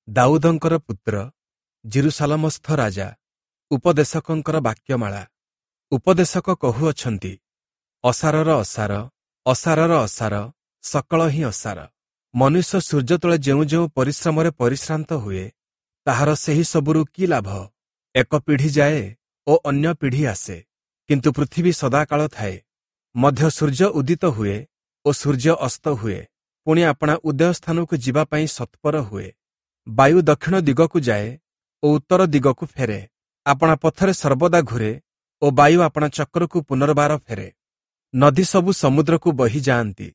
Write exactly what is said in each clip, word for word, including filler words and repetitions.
ଦାଉଦଙ୍କର ପୁତ୍ର ଯିରୂଶାଲମସ୍ଥ ରାଜା ଉପଦେଶକଙ୍କର ବାକ୍ୟମାଳା। ଉପଦେଶକ କହୁଅଛନ୍ତି, ଅସାରର ଅସାର, ଅସାରର ଅସାର, ସକଳ ହିଁ ଅସାର। ମନୁଷ୍ୟ ସୂର୍ଯ୍ୟ ତଳେ ଯେଉଁ ଯେଉଁ ପରିଶ୍ରମରେ ପରିଶ୍ରାନ୍ତ ହୁଏ, ତାହାର ସେହି ସବୁରୁ କି ଲାଭ? ଏକ ପିଢ଼ି ଯାଏ ଓ ଅନ୍ୟ ପିଢ଼ି ଆସେ, କିନ୍ତୁ ପୃଥିବୀ ସଦାକାଳ ଥାଏ। ମଧ୍ୟ ସୂର୍ଯ୍ୟ ଉଦିତ ହୁଏ ଓ ସୂର୍ଯ୍ୟ ଅସ୍ତ ହୁଏ, ପୁଣି ଆପଣା ଉଦୟ ସ୍ଥାନକୁ ଯିବା ପାଇଁ ସତ୍ପର ହୁଏ। ବାୟୁ ଦକ୍ଷିଣ ଦିଗକୁ ଯାଏ ଓ ଉତ୍ତର ଦିଗକୁ ଫେରେ, ଆପଣା ପଥରେ ସର୍ବଦା ଘୂରେ ଓ ବାୟୁ ଆପଣା ଚକ୍ରକୁ ପୁନର୍ବାର ଫେରେ। ନଦୀ ସବୁ ସମୁଦ୍ରକୁ ବହି ଯାଆନ୍ତି,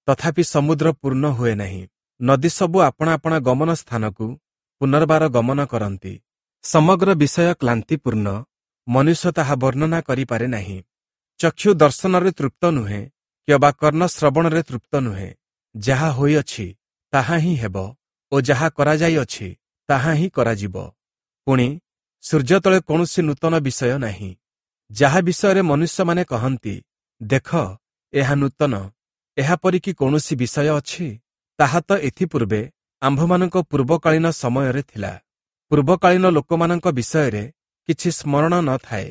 ତଥାପି ସମୁଦ୍ର ପୂର୍ଣ୍ଣ ହୁଏ ନାହିଁ। ନଦୀ ସବୁ ଆପଣା ଆପଣା ଗମନ ସ୍ଥାନକୁ ପୁନର୍ବାର ଗମନ କରନ୍ତି। ସମଗ୍ର ବିଷୟ କ୍ଳାନ୍ତିପୂର୍ଣ୍ଣ, ମନୁଷ୍ୟ ତାହା ବର୍ଣ୍ଣନା କରିପାରେ ନାହିଁ। ଚକ୍ଷୁ ଦର୍ଶନରେ ତୃପ୍ତ ନୁହେଁ, କିମ୍ବା କର୍ଣ୍ଣ ଶ୍ରବଣରେ ତୃପ୍ତ ନୁହେଁ। ଯାହା ହୋଇଅଛି ତାହା ହିଁ ହେବ ଓ ଯାହା କରାଯାଇଅଛି ତାହା ହିଁ କରାଯିବ। ପୁଣି ସୂର୍ଯ୍ୟ ତଳେ କୌଣସି ନୂତନ ବିଷୟ ନାହିଁ। ଯାହା ବିଷୟରେ ମନୁଷ୍ୟମାନେ କହନ୍ତି, ଦେଖ, ଏହା ନୂତନ, ଏହାପରି କି କୌଣସି ବିଷୟ ଅଛି? ତାହା ତ ଏଥିପୂର୍ବେ ଆମ୍ଭମାନଙ୍କ ପୂର୍ବକାଳୀନ ସମୟରେ ଥିଲା। ପୂର୍ବକାଳୀନ ଲୋକମାନଙ୍କ ବିଷୟରେ କିଛି ସ୍ମରଣ ନ ଥାଏ,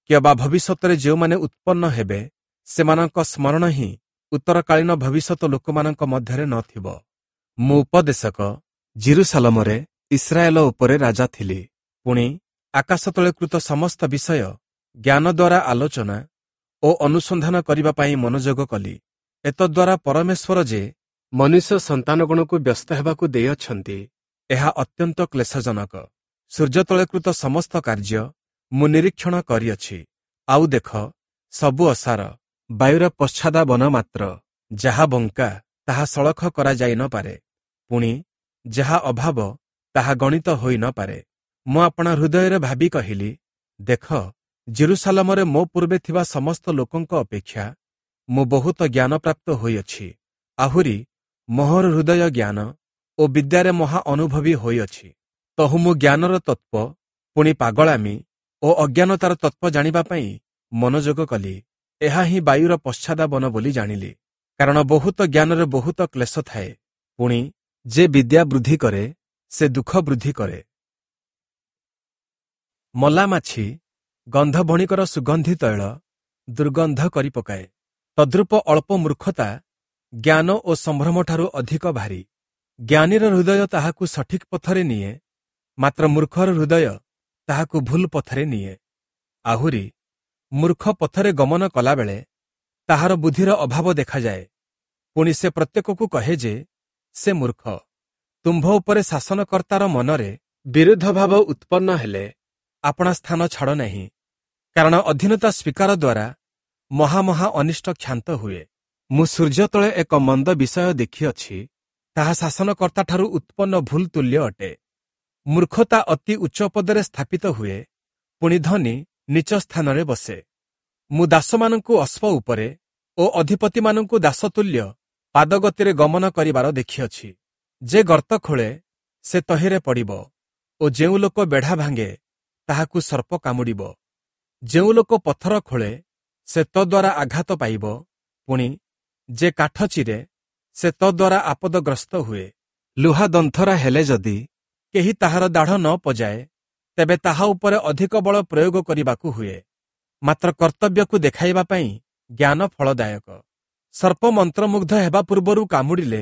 କିମ୍ବା ଭବିଷ୍ୟତରେ ଯେଉଁମାନେ ଉତ୍ପନ୍ନ ହେବେ ସେମାନଙ୍କ ସ୍ମରଣ ହିଁ ଉତ୍ତରକାଳୀନ ଭବିଷ୍ୟତ ଲୋକମାନଙ୍କ ମଧ୍ୟରେ ନଥିବ। ମୁଁ ଉପଦେଶକ ଯିରୂଶାଲମରେ ଇସ୍ରାଏଲ ଉପରେ ରାଜା ଥିଲି। ପୁଣି ଆକାଶ ତଳେ କୃତ ସମସ୍ତ ବିଷୟ ଜ୍ଞାନ ଦ୍ୱାରା ଆଲୋଚନା ଓ ଅନୁସନ୍ଧାନ କରିବା ପାଇଁ ମନୋଯୋଗ କଲି। ଏତଦ୍ୱାରା ପରମେଶ୍ୱର ଯେ ମନୁଷ୍ୟ ସନ୍ତାନଗଣକୁ ବ୍ୟସ୍ତ ହେବାକୁ ଦେଇଅଛନ୍ତି, ଏହା ଅତ୍ୟନ୍ତ କ୍ଲେଶଜନକ। ସୂର୍ଯ୍ୟ ତଳେ କୃତ ସମସ୍ତ କାର୍ଯ୍ୟ ମୁଁ ନିରୀକ୍ଷଣ କରିଅଛି। ଆଉ ଦେଖ, ସବୁ ଅସାର, ବାୟୁର ପଶ୍ଚାଦାବନ ମାତ୍ର। ଯାହା ବଙ୍କା ତାହା ସଳଖ କରାଯାଇ ନ ପାରେ, ପୁଣି ଯାହା ଅଭାବ ତାହା ଗଣିତ ହୋଇ ନ ପାରେ। ମୁଁ ଆପଣା ହୃଦୟରେ ଭାବି କହିଲି, ଦେଖ, ଯିରୂଶାଲମରେ ମୋ ପୂର୍ବେ ଥିବା ସମସ୍ତ ଲୋକଙ୍କ ଅପେକ୍ଷା ମୁଁ ବହୁତ ଜ୍ଞାନପ୍ରାପ୍ତ ହୋଇଅଛି। ଆହୁରି ମୋହର ହୃଦୟ ଜ୍ଞାନ ଓ ବିଦ୍ୟାରେ ମହା ଅନୁଭବୀ ହୋଇଅଛି। ତହୁ ମୁଁ ଜ୍ଞାନର ତତ୍ତ୍ୱ, ପୁଣି ପାଗଳାମି ଓ ଅଜ୍ଞାନତାର ତତ୍ତ୍ୱ ଜାଣିବା ପାଇଁ ମନୋଯୋଗ କଲି। ଏହା ହିଁ ବାୟୁର ପଶ୍ଚାଦାବନ ବୋଲି ଜାଣିଲି। କାରଣ ବହୁତ ଜ୍ଞାନରେ ବହୁତ କ୍ଲେଶ ଥାଏ। ପୁଣି ଯେ ବିଦ୍ୟା ବୃଦ୍ଧି କରେ, ସେ ଦୁଃଖ ବୃଦ୍ଧି କରେ। ମଲା ମାଛି ଗନ୍ଧ ବଣିକର ସୁଗନ୍ଧି ତୈଳ ଦୁର୍ଗନ୍ଧ କରି ପକାଏ, ତଦ୍ରୂପ ଅଳ୍ପ ମୂର୍ଖତା ଜ୍ଞାନ ଓ ସମ୍ଭ୍ରମଠାରୁ ଅଧିକ ଭାରୀ। ଜ୍ଞାନୀର ହୃଦୟ ତାହାକୁ ସଠିକ୍ ପଥରେ ନିଏ, ମାତ୍ର ମୂର୍ଖର ହୃଦୟ ତାହାକୁ ଭୁଲ ପଥରେ ନିଏ। ଆହୁରି ମୂର୍ଖ ପଥରେ ଗମନ କଲାବେଳେ ତାହାର ବୁଦ୍ଧିର ଅଭାବ ଦେଖାଯାଏ। ପୁଣି ସେ ପ୍ରତ୍ୟେକକୁ କହେ ଯେ ସେ ମୂର୍ଖ। ତୁମ୍ଭ ଉପରେ ଶାସନକର୍ତ୍ତାର ମନରେ ବିରୁଦ୍ଧ ଭାବ ଉତ୍ପନ୍ନ ହେଲେ ଆପଣା ସ୍ଥାନ ଛାଡ଼ ନାହିଁ, କାରଣ ଅଧୀନତା ସ୍ୱୀକାର ଦ୍ୱାରା ମହାମହା ଅନିଷ୍ଟ କ୍ଷାନ୍ତ ହୁଏ। ମୁଁ ସୂର୍ଯ୍ୟ ତଳେ ଏକ ମନ୍ଦ ବିଷୟ ଦେଖିଅଛି, ତାହା ଶାସନକର୍ତ୍ତାଠାରୁ ଉତ୍ପନ୍ନ ଭୁଲ ତୁଲ୍ୟ ଅଟେ। ମୂର୍ଖତା ଅତି ଉଚ୍ଚ ପଦରେ ସ୍ଥାପିତ ହୁଏ, ପୁଣି ଧନୀ ନୀଚ ସ୍ଥାନରେ ବସେ। ମୁଁ ଦାସମାନଙ୍କୁ ଅଶ୍ବ ଉପରେ ଓ ଅଧିପତିମାନଙ୍କୁ ଦାସତୁଲ୍ୟ ପାଦଗତିରେ ଗମନ କରିବାର ଦେଖିଅଛି। ଯେ ଗର୍ତ୍ତ ଖୋଳେ ସେ ତହିଁରେ ପଡ଼ିବ, ଓ ଯେଉଁ ଲୋକ ବେଢ଼ା ଭାଙ୍ଗେ ତାହାକୁ ସର୍ପ କାମୁଡ଼ିବ। ଯେଉଁ ଲୋକ ପଥର ଖୋଳେ ସେ ତଦ୍ୱାରା ଆଘାତ ପାଇବ, ପୁଣି ଯେ କାଠ ଚିରେ ସେ ତଦ୍ୱାରା ଆପଦଗ୍ରସ୍ତ ହୁଏ। ଲୁହା ଦନ୍ଥରା ହେଲେ ଯଦି କେହି ତାହାର ଦାଢ଼ ନ ପଜାଏ, ତେବେ ତାହା ଉପରେ ଅଧିକ ବଳ ପ୍ରୟୋଗ କରିବାକୁ ହୁଏ। ମାତ୍ର କର୍ତ୍ତବ୍ୟକୁ ଦେଖାଇବା ପାଇଁ ଜ୍ଞାନ ଫଳଦାୟକ। ସର୍ପ ମନ୍ତ୍ରମୁଗ୍ଧ ହେବା ପୂର୍ବରୁ କାମୁଡ଼ିଲେ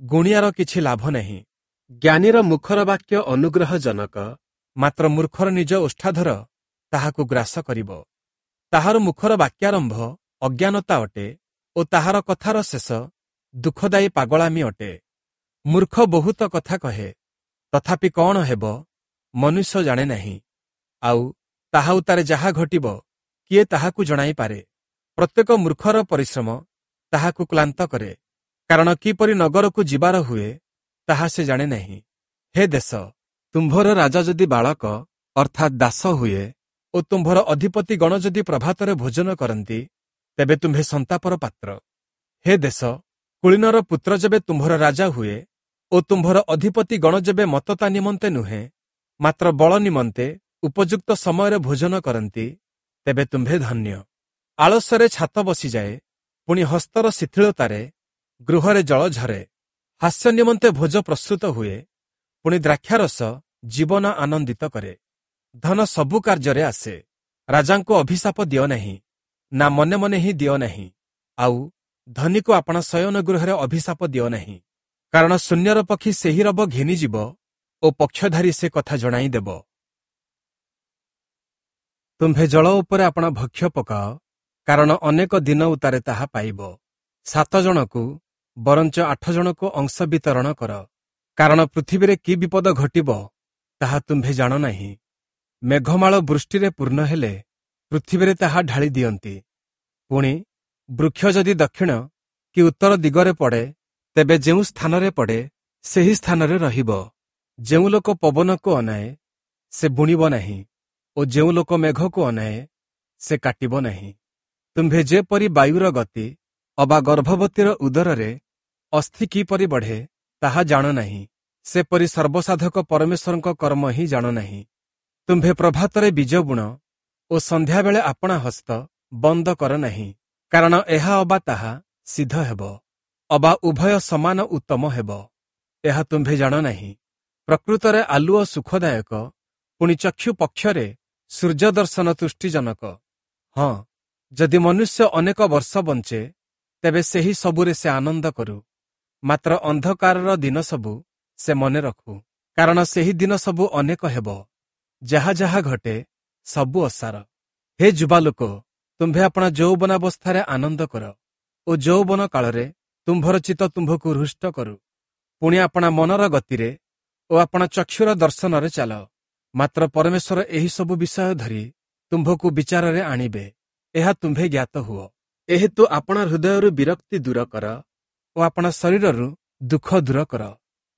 ଗୁଣିଆର କିଛି ଲାଭ ନାହିଁ। ଜ୍ଞାନୀର ମୁଖର ବାକ୍ୟ ଅନୁଗ୍ରହଜନକ, ମାତ୍ର ମୂର୍ଖର ନିଜ ଓଷ୍ଠାଧର ତାହାକୁ ଗ୍ରାସ କରିବ। ତାହାର ମୁଖର ବାକ୍ୟାରମ୍ଭ ଅଜ୍ଞାନତା ଅଟେ ଓ ତାହାର କଥାର ଶେଷ ଦୁଃଖଦାୟୀ ପାଗଳାମି ଅଟେ। ମୂର୍ଖ ବହୁତ କଥା କହେ, ତଥାପି କଣ ହେବ ମନୁଷ୍ୟ ଜାଣେ ନାହିଁ। ଆଉ ତାହା ଉତ୍ତାରେ ଯାହା ଘଟିବ କିଏ ତାହାକୁ ଜଣାଇପାରେ? ପ୍ରତ୍ୟେକ ମୂର୍ଖର ପରିଶ୍ରମ ତାହାକୁ କ୍ଳାନ୍ତ କରେ, କାରଣ କିପରି ନଗରକୁ ଯିବାର ହୁଏ ତାହା ସେ ଜାଣେ ନାହିଁ। ହେ ଦେଶ, ତୁମ୍ଭର ରାଜା ଯଦି ବାଳକ ଅର୍ଥାତ୍ ଦାସ ହୁଏ ଓ ତୁମ୍ଭର ଅଧିପତି ଗଣ ଯଦି ପ୍ରଭାତରେ ଭୋଜନ କରନ୍ତି, ତେବେ ତୁମ୍ଭେ ସନ୍ତାପର ପାତ୍ର। ହେ ଦେଶ, କୁଳୀନର ପୁତ୍ର ଯେବେ ତୁମ୍ଭର ରାଜା ହୁଏ ଓ ତୁମ୍ଭର ଅଧିପତି ଗଣ ଯେବେ ମତତା ନିମନ୍ତେ ନୁହେଁ, ମାତ୍ର ବଳ ନିମନ୍ତେ ଉପଯୁକ୍ତ ସମୟରେ ଭୋଜନ କରନ୍ତି, ତେବେ ତୁମ୍ଭେ ଧନ୍ୟ। ଆଳସ୍ୟରେ ଛାତ ବସିଯାଏ, ପୁଣି ହସ୍ତର ଶିଥିଳତାରେ ଗୃହରେ ଜଳ ଝରେ। ହାସ୍ୟ ନିମନ୍ତେ ଭୋଜ ପ୍ରସ୍ତୁତ ହୁଏ, ପୁଣି ଦ୍ରାକ୍ଷାରସ ଜୀବନ ଆନନ୍ଦିତ କରେ। ଧନ ସବୁ କାର୍ଯ୍ୟରେ ଆସେ। ରାଜାଙ୍କୁ ଅଭିଶାପ ଦିଅ ନାହିଁ, ନା ମନେ ମନେ ହିଁ ଦିଅ ନାହିଁ, ଆଉ ଧନୀକୁ ଆପଣା ଶୟନ ଗୃହରେ ଅଭିଶାପ ଦିଅ ନାହିଁ। କାରଣ ଶୂନ୍ୟର ପକ୍ଷୀ ସେହି ରବ ଘେନିଯିବ ଓ ପକ୍ଷଧାରୀ ସେ କଥା ଜଣାଇ ଦେବ। ତୁମ୍ଭେ ଜଳ ଉପରେ ଆପଣା ଭକ୍ଷ୍ୟ ପକାଅ, କାରଣ ଅନେକ ଦିନ ଉତ୍ତାରେ ତାହା ପାଇବ। ସାତ ଜଣକୁ ବରଞ୍ଚ ଆଠ ଜଣକୁ ଅଂଶ ବିତରଣ କର, କାରଣ ପୃଥିବୀରେ କି ବିପଦ ଘଟିବ ତାହା ତୁମ୍ଭେ ଜାଣ ନାହିଁ। ମେଘମାଳ ବୃଷ୍ଟିରେ ପୂର୍ଣ୍ଣ ହେଲେ ପୃଥିବୀରେ ତାହା ଢାଳି ଦିଅନ୍ତି। ପୁଣି ବୃକ୍ଷ ଯଦି ଦକ୍ଷିଣ କି ଉତ୍ତର ଦିଗରେ ପଡ଼େ, ତେବେ ଯେଉଁ ସ୍ଥାନରେ ପଡ଼େ ସେହି ସ୍ଥାନରେ ରହିବ। ଯେଉଁ ଲୋକ ପବନକୁ ଅନାଏ ସେ ବୁଣିବ ନାହିଁ, ଓ ଯେଉଁ ଲୋକ ମେଘକୁ ଅନାଏ ସେ କାଟିବ ନାହିଁ। ତୁମ୍ଭେ ଯେପରି ବାୟୁର ଗତି ଅବା ଗର୍ଭବତୀର ଉଦରରେ ଅସ୍ଥି କିପରି ବଢ଼େ ତାହା ଜାଣ ନାହିଁ, ସେପରି ସର୍ବସାଧକ ପରମେଶ୍ୱରଙ୍କ କର୍ମ ହିଁ ଜାଣ ନାହିଁ। ତୁମ୍ଭେ ପ୍ରଭାତରେ ବୀଜ ବୁଣ ଓ ସନ୍ଧ୍ୟାବେଳେ ଆପଣା ହସ୍ତ ବନ୍ଦ କର ନାହିଁ, କାରଣ ଏହା ଅବା ତାହା ସିଦ୍ଧ ହେବ, ଅବା ଉଭୟ ସମାନ ଉତ୍ତମ ହେବ, ଏହା ତୁମ୍ଭେ ଜାଣ ନାହିଁ। ପ୍ରକୃତରେ ଆଲୁଅ ସୁଖଦାୟକ, ପୁଣି ଚକ୍ଷୁ ପକ୍ଷରେ ସୂର୍ଯ୍ୟ ଦର୍ଶନ ତୁଷ୍ଟିଜନକ। ହଁ, ଯଦି ମନୁଷ୍ୟ ଅନେକ ବର୍ଷ ବଞ୍ଚେ, ତେବେ ସେହି ସବୁରେ ସେ ଆନନ୍ଦ କରୁ, ମାତ୍ର ଅନ୍ଧକାରର ଦିନ ସବୁ ସେ ମନେ ରଖୁ, କାରଣ ସେହି ଦିନ ସବୁ ଅନେକ ହେବ। ଯାହା ଯାହା ଘଟେ ସବୁ ଅସାର। ହେ ଯୁବାଲୋକ, ତୁମ୍ଭେ ଆପଣା ଯୌବନାବସ୍ଥାରେ ଆନନ୍ଦ କର ଓ ଯୌବନ କାଳରେ ତୁମ୍ଭର ଚିତ୍ତ ତୁମ୍ଭକୁ ହୃଷ୍ଟ କରୁ। ପୁଣି ଆପଣା ମନର ଗତିରେ ଓ ଆପଣା ଚକ୍ଷୁର ଦର୍ଶନରେ ଚାଲ, ମାତ୍ର ପରମେଶ୍ୱର ଏହି ସବୁ ବିଷୟ ଧରି ତୁମ୍ଭକୁ ବିଚାରରେ ଆଣିବେ, ଏହା ତୁମ୍ଭେ ଜ୍ଞାତ ହୁଅ। ଏହେତୁ ଆପଣା ହୃଦୟରୁ ବିରକ୍ତି ଦୂର କର ଓ ଆପଣା ଶରୀରରୁ ଦୁଃଖ ଦୂର କର,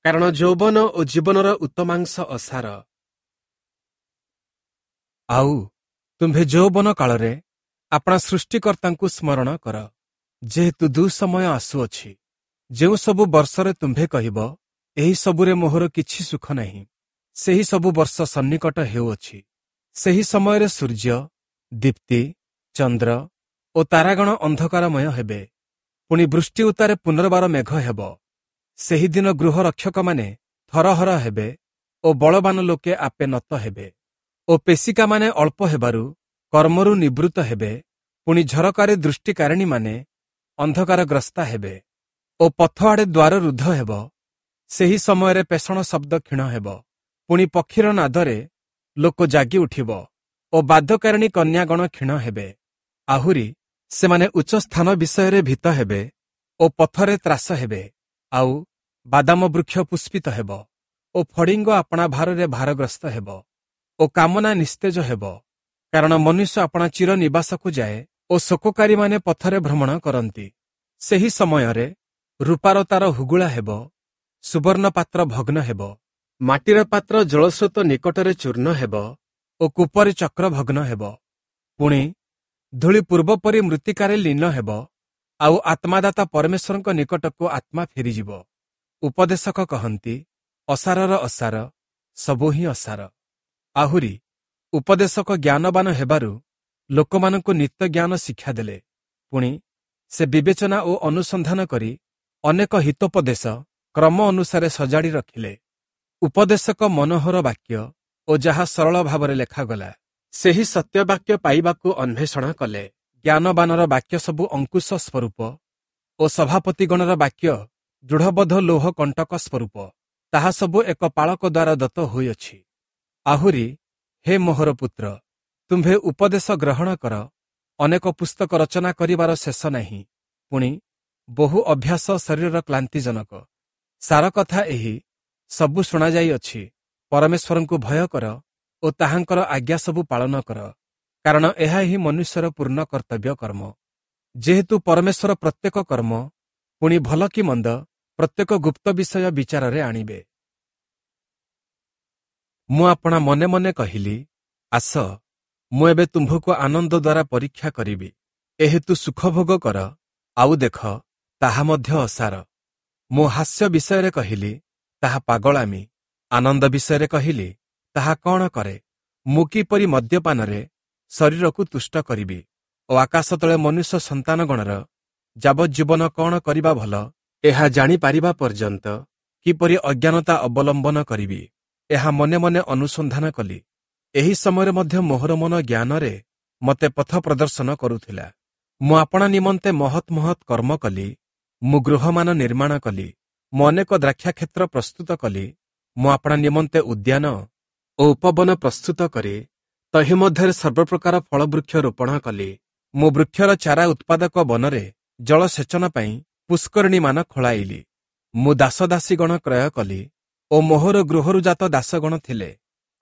କାରଣ ଯୌବନ ଓ ଜୀବନର ଉତ୍ତମାଂଶ ଅସାର। ଆଉ ତୁମ୍ଭେ ଯୌବନ କାଳରେ ଆପଣା ସୃଷ୍ଟିକର୍ତ୍ତାଙ୍କୁ ସ୍ମରଣ କର, ଯେହେତୁ ଦୁଃସମୟ ଆସୁଅଛି। ଯେଉଁ ସବୁ ବର୍ଷରେ ତୁମ୍ଭେ କହିବ, ଏହି ସବୁରେ ମୋହର କିଛି ସୁଖ ନାହିଁ, ସେହି ସବୁ ବର୍ଷ ସନ୍ନିକଟ ହେଉଅଛି। ସେହି ସମୟରେ ସୂର୍ଯ୍ୟ, ଦୀପ୍ତି, ଚନ୍ଦ୍ର ଓ ତାରାଗଣ ଅନ୍ଧକାରମୟ ହେବେ। ପୁଣି ବୃଷ୍ଟି ଉତ୍ତାରେ ପୁନର୍ବାର ମେଘ ହେବ। ସେହିଦିନ ଗୃହ ରକ୍ଷକମାନେ ଥରହର ହେବେ ଓ ବଳବାନ ଲୋକେ ଆପେ ନତ ହେବେ, ଓ ପେଶିକାମାନେ ଅଳ୍ପ ହେବାରୁ କର୍ମରୁ ନିବୃତ୍ତ ହେବେ। ପୁଣି ଝରକାରେ ଦୃଷ୍ଟିକାରିଣୀମାନେ ଅନ୍ଧକାରଗ୍ରସ୍ତା ହେବେ ଓ ପଥ ଆଡ଼େ ଦ୍ୱାର ରୁଦ୍ଧ ହେବ। ସେହି ସମୟରେ ପେଷଣ ଶବ୍ଦ କ୍ଷୀଣ ହେବ। ପୁଣି ପକ୍ଷୀର ନାଦରେ ଲୋକ ଜାଗି ଉଠିବ ଓ ବାଧ୍ୟକାରିଣୀ କନ୍ୟାଗଣ କ୍ଷୀଣ ହେବେ। ଆହୁରି ସେମାନେ ଉଚ୍ଚ ସ୍ଥାନ ବିଷୟରେ ଭୀତ ହେବେ ଓ ପଥରେ ତ୍ରାସ ହେବେ। ଆଉ ବାଦାମ ବୃକ୍ଷ ପୁଷ୍ପିତ ହେବ ଓ ଫଡ଼ିଙ୍ଗ ଆପଣା ଭାରରେ ଭାରଗ୍ରସ୍ତ ହେବ ଓ କାମନା ନିସ୍ତେଜ ହେବ, କାରଣ ମନୁଷ୍ୟ ଆପଣା ଚିର ନିବାସକୁ ଯାଏ ଓ ଶୋକକାରୀମାନେ ପଥରେ ଭ୍ରମଣ କରନ୍ତି। ସେହି ସମୟରେ ରୂପାର ତାର ହୁଗୁଳା ହେବ, ସୁବର୍ଣ୍ଣ ପାତ୍ର ଭଗ୍ନ ହେବ, ମାଟିର ପାତ୍ର ଜଳସ୍ରୋତ ନିକଟରେ ଚୂର୍ଣ୍ଣ ହେବ ଓ କୂପରେ ଚକ୍ର ଭଗ୍ନ ହେବ। ପୁଣି ଧୂଳି ପୂର୍ବପରି ମୃତ୍ତିକାରେ ଲୀନ ହେବ, ଆଉ ଆତ୍ମାଦାତା ପରମେଶ୍ୱରଙ୍କ ନିକଟକୁ ଆତ୍ମା ଫେରିଯିବ। ଉପଦେଶକ କହନ୍ତି, ଅସାରର ଅସାର, ସବୁ ହିଁ ଅସାର। ଆହୁରି ଉପଦେଶକ ଜ୍ଞାନବାନ ହେବାରୁ ଲୋକମାନଙ୍କୁ ନିତ୍ୟ ଜ୍ଞାନ ଶିକ୍ଷା ଦେଲେ। ପୁଣି ସେ ବିବେଚନା ଓ ଅନୁସନ୍ଧାନ କରି ଅନେକ ହିତୋପଦେଶ କ୍ରମ ଅନୁସାରେ ସଜାଡ଼ି ରଖିଲେ। ଉପଦେଶକ ମନୋହର ବାକ୍ୟ ଓ ଯାହା ସରଳ ଭାବରେ ଲେଖାଗଲା, ସେହି ସତ୍ୟବାକ୍ୟ ପାଇବାକୁ ଅନ୍ୱେଷଣ କଲେ। ଜ୍ଞାନବାନର ବାକ୍ୟ ସବୁ ଅଙ୍କୁଶ ସ୍ୱରୂପ ଓ ସଭାପତିଗଣର ବାକ୍ୟ ଦୃଢ଼ବଦ୍ଧ ଲୌହ କଣ୍ଟକ ସ୍ୱରୂପ, ତାହା ସବୁ ଏକ ପାଳକ ଦ୍ୱାରା ଦତ୍ତ ହୋଇଅଛି। ଆହୁରି ହେ ମୋହର ପୁତ୍ର, ତୁମ୍ଭେ ଉପଦେଶ ଗ୍ରହଣ କର, ଅନେକ ପୁସ୍ତକ ରଚନା କରିବାର ଶେଷ ନାହିଁ। ପୁଣି ବହୁ ଅଭ୍ୟାସ ଶରୀରର କ୍ଳାନ୍ତିଜନକ। ସାର କଥା ଏହି, ସବୁ ଶୁଣାଯାଇଅଛି। ପରମେଶ୍ୱରଙ୍କୁ ଭୟ କର ଓ ତାହାଙ୍କର ଆଜ୍ଞା ସବୁ ପାଳନ କର, କାରଣ ଏହା ହିଁ ମନୁଷ୍ୟର ପୂର୍ଣ୍ଣ କର୍ତ୍ତବ୍ୟ କର୍ମ। ଯେହେତୁ ପରମେଶ୍ୱର ପ୍ରତ୍ୟେକ କର୍ମ, ପୁଣି ଭଲ କି ମନ୍ଦ, ପ୍ରତ୍ୟେକ ଗୁପ୍ତ ବିଷୟ ବିଚାରରେ ଆଣିବେ। ମୁଁ ଆପଣା ମନେ ମନେ କହିଲି, ଆସ, ମୁଁ ଏବେ ତୁମ୍ଭକୁ ଆନନ୍ଦ ଦ୍ୱାରା ପରୀକ୍ଷା କରିବି। ଏହେତୁ ସୁଖଭୋଗ କର, ଆଉ ଦେଖ, ତାହା ମଧ୍ୟ ଅସାର। ମୁଁ ହାସ୍ୟ ବିଷୟରେ କହିଲି, ତାହା ପାଗଳାମି। ଆନନ୍ଦ ବିଷୟରେ କହିଲି, ତାହା କଣ କରେ? ମୁଁ କିପରି ମଦ୍ୟପାନରେ ଶରୀରକୁ ତୁଷ୍ଟ କରିବି ଓ ଆକାଶ ତଳେ ମନୁଷ୍ୟ ସନ୍ତାନଗଣର ଯାବଜ୍ଜୀବନ କଣ କରିବା ଭଲ, ଏହା ଜାଣିପାରିବା ପର୍ଯ୍ୟନ୍ତ କିପରି ଅଜ୍ଞାନତା ଅବଲମ୍ବନ କରିବି, ଏହା ମନେ ମନେ ଅନୁସନ୍ଧାନ କଲି। ଏହି ସମୟରେ ମଧ୍ୟ ମୋହର ମନ ଜ୍ଞାନରେ ମୋତେ ପଥ ପ୍ରଦର୍ଶନ କରୁଥିଲା। ମୁଁ ଆପଣା ନିମନ୍ତେ ମହତ୍ ମହତ୍ କର୍ମ କଲି, ମୁଁ ଗୃହମାନ ନିର୍ମାଣ କଲି, ମୁଁ ଅନେକ ଦ୍ରାକ୍ଷାକ୍ଷେତ୍ର ପ୍ରସ୍ତୁତ କଲି, ମୁଁ ଆପଣା ନିମନ୍ତେ ଉଦ୍ୟାନ ଓ ଉପବନ ପ୍ରସ୍ତୁତ କରି ତହିଁ ମଧ୍ୟରେ ସର୍ବପ୍ରକାର ଫଳବୃକ୍ଷ ରୋପଣ କଲି। ମୁଁ ବୃକ୍ଷର ଚାରା ଉତ୍ପାଦକ ବନରେ ଜଳସେଚନ ପାଇଁ ପୁଷ୍କରିଣୀମାନ ଖୋଳାଇଲି। ମୁଁ ଦାସଦାସୀଗଣ କ୍ରୟ କଲି ଓ ମୋହର ଗୃହରୁ ଜାତ ଦାସଗଣ ଥିଲେ।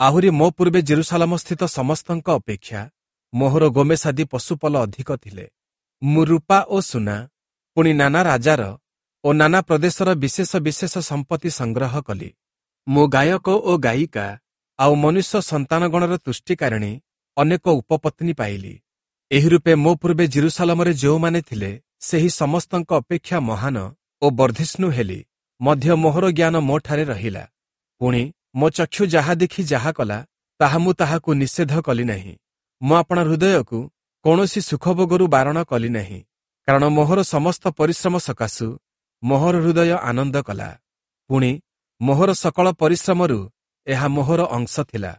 ଆହୁରି ମୋ ପୂର୍ବେ ଜେରୁସାଲମସ୍ଥିତ ସମସ୍ତଙ୍କ ଅପେକ୍ଷା ମୋହର ଗୋମେଶାଦି ପଶୁପଲ ଅଧିକ ଥିଲେ। ମୁଁ ରୂପା ଓ ସୁନା, ପୁଣି ନାନା ରାଜାର ଓ ନାନା ପ୍ରଦେଶର ବିଶେଷ ବିଶେଷ ସମ୍ପତ୍ତି ସଂଗ୍ରହ କଲି। ମୁଁ ଗାୟକ ଓ ଗାୟିକା ଆଉ ମନୁଷ୍ୟ ସନ୍ତାନଗଣର ତୁଷ୍ଟିକାରିଣୀ ଅନେକ ଉପପତ୍ନୀ ପାଇଲି। ଏହି ରୂପେ ମୋ ପୂର୍ବେ ଜେରୁସାଲମରେ ଯେଉଁମାନେ ଥିଲେ, ସେହି ସମସ୍ତଙ୍କ ଅପେକ୍ଷା ମହାନ ଓ ବର୍ଦ୍ଧିଷ୍ଣୁ ହେଲି। ମଧ୍ୟ ମୋହର ଜ୍ଞାନ ମୋଠାରେ ରହିଲା। ପୁଣି ମୋ ଚକ୍ଷୁ ଯାହା ଦେଖି ଯାହା କଲା, ତାହା ମୁଁ ତାହାକୁ ନିଷେଧ କଲି ନାହିଁ। ମୁଁ ଆପଣା ହୃଦୟକୁ କୌଣସି ସୁଖଭୋଗରୁ ବାରଣ କଲି ନାହିଁ, କାରଣ ମୋହର ସମସ୍ତ ପରିଶ୍ରମ ସକାଶୁ ମୋହର ହୃଦୟ ଆନନ୍ଦ କଲା। ପୁଣି ମୋହର ସକଳ ପରିଶ୍ରମରୁ ଏହା ମୋହର ଅଂଶ ଥିଲା।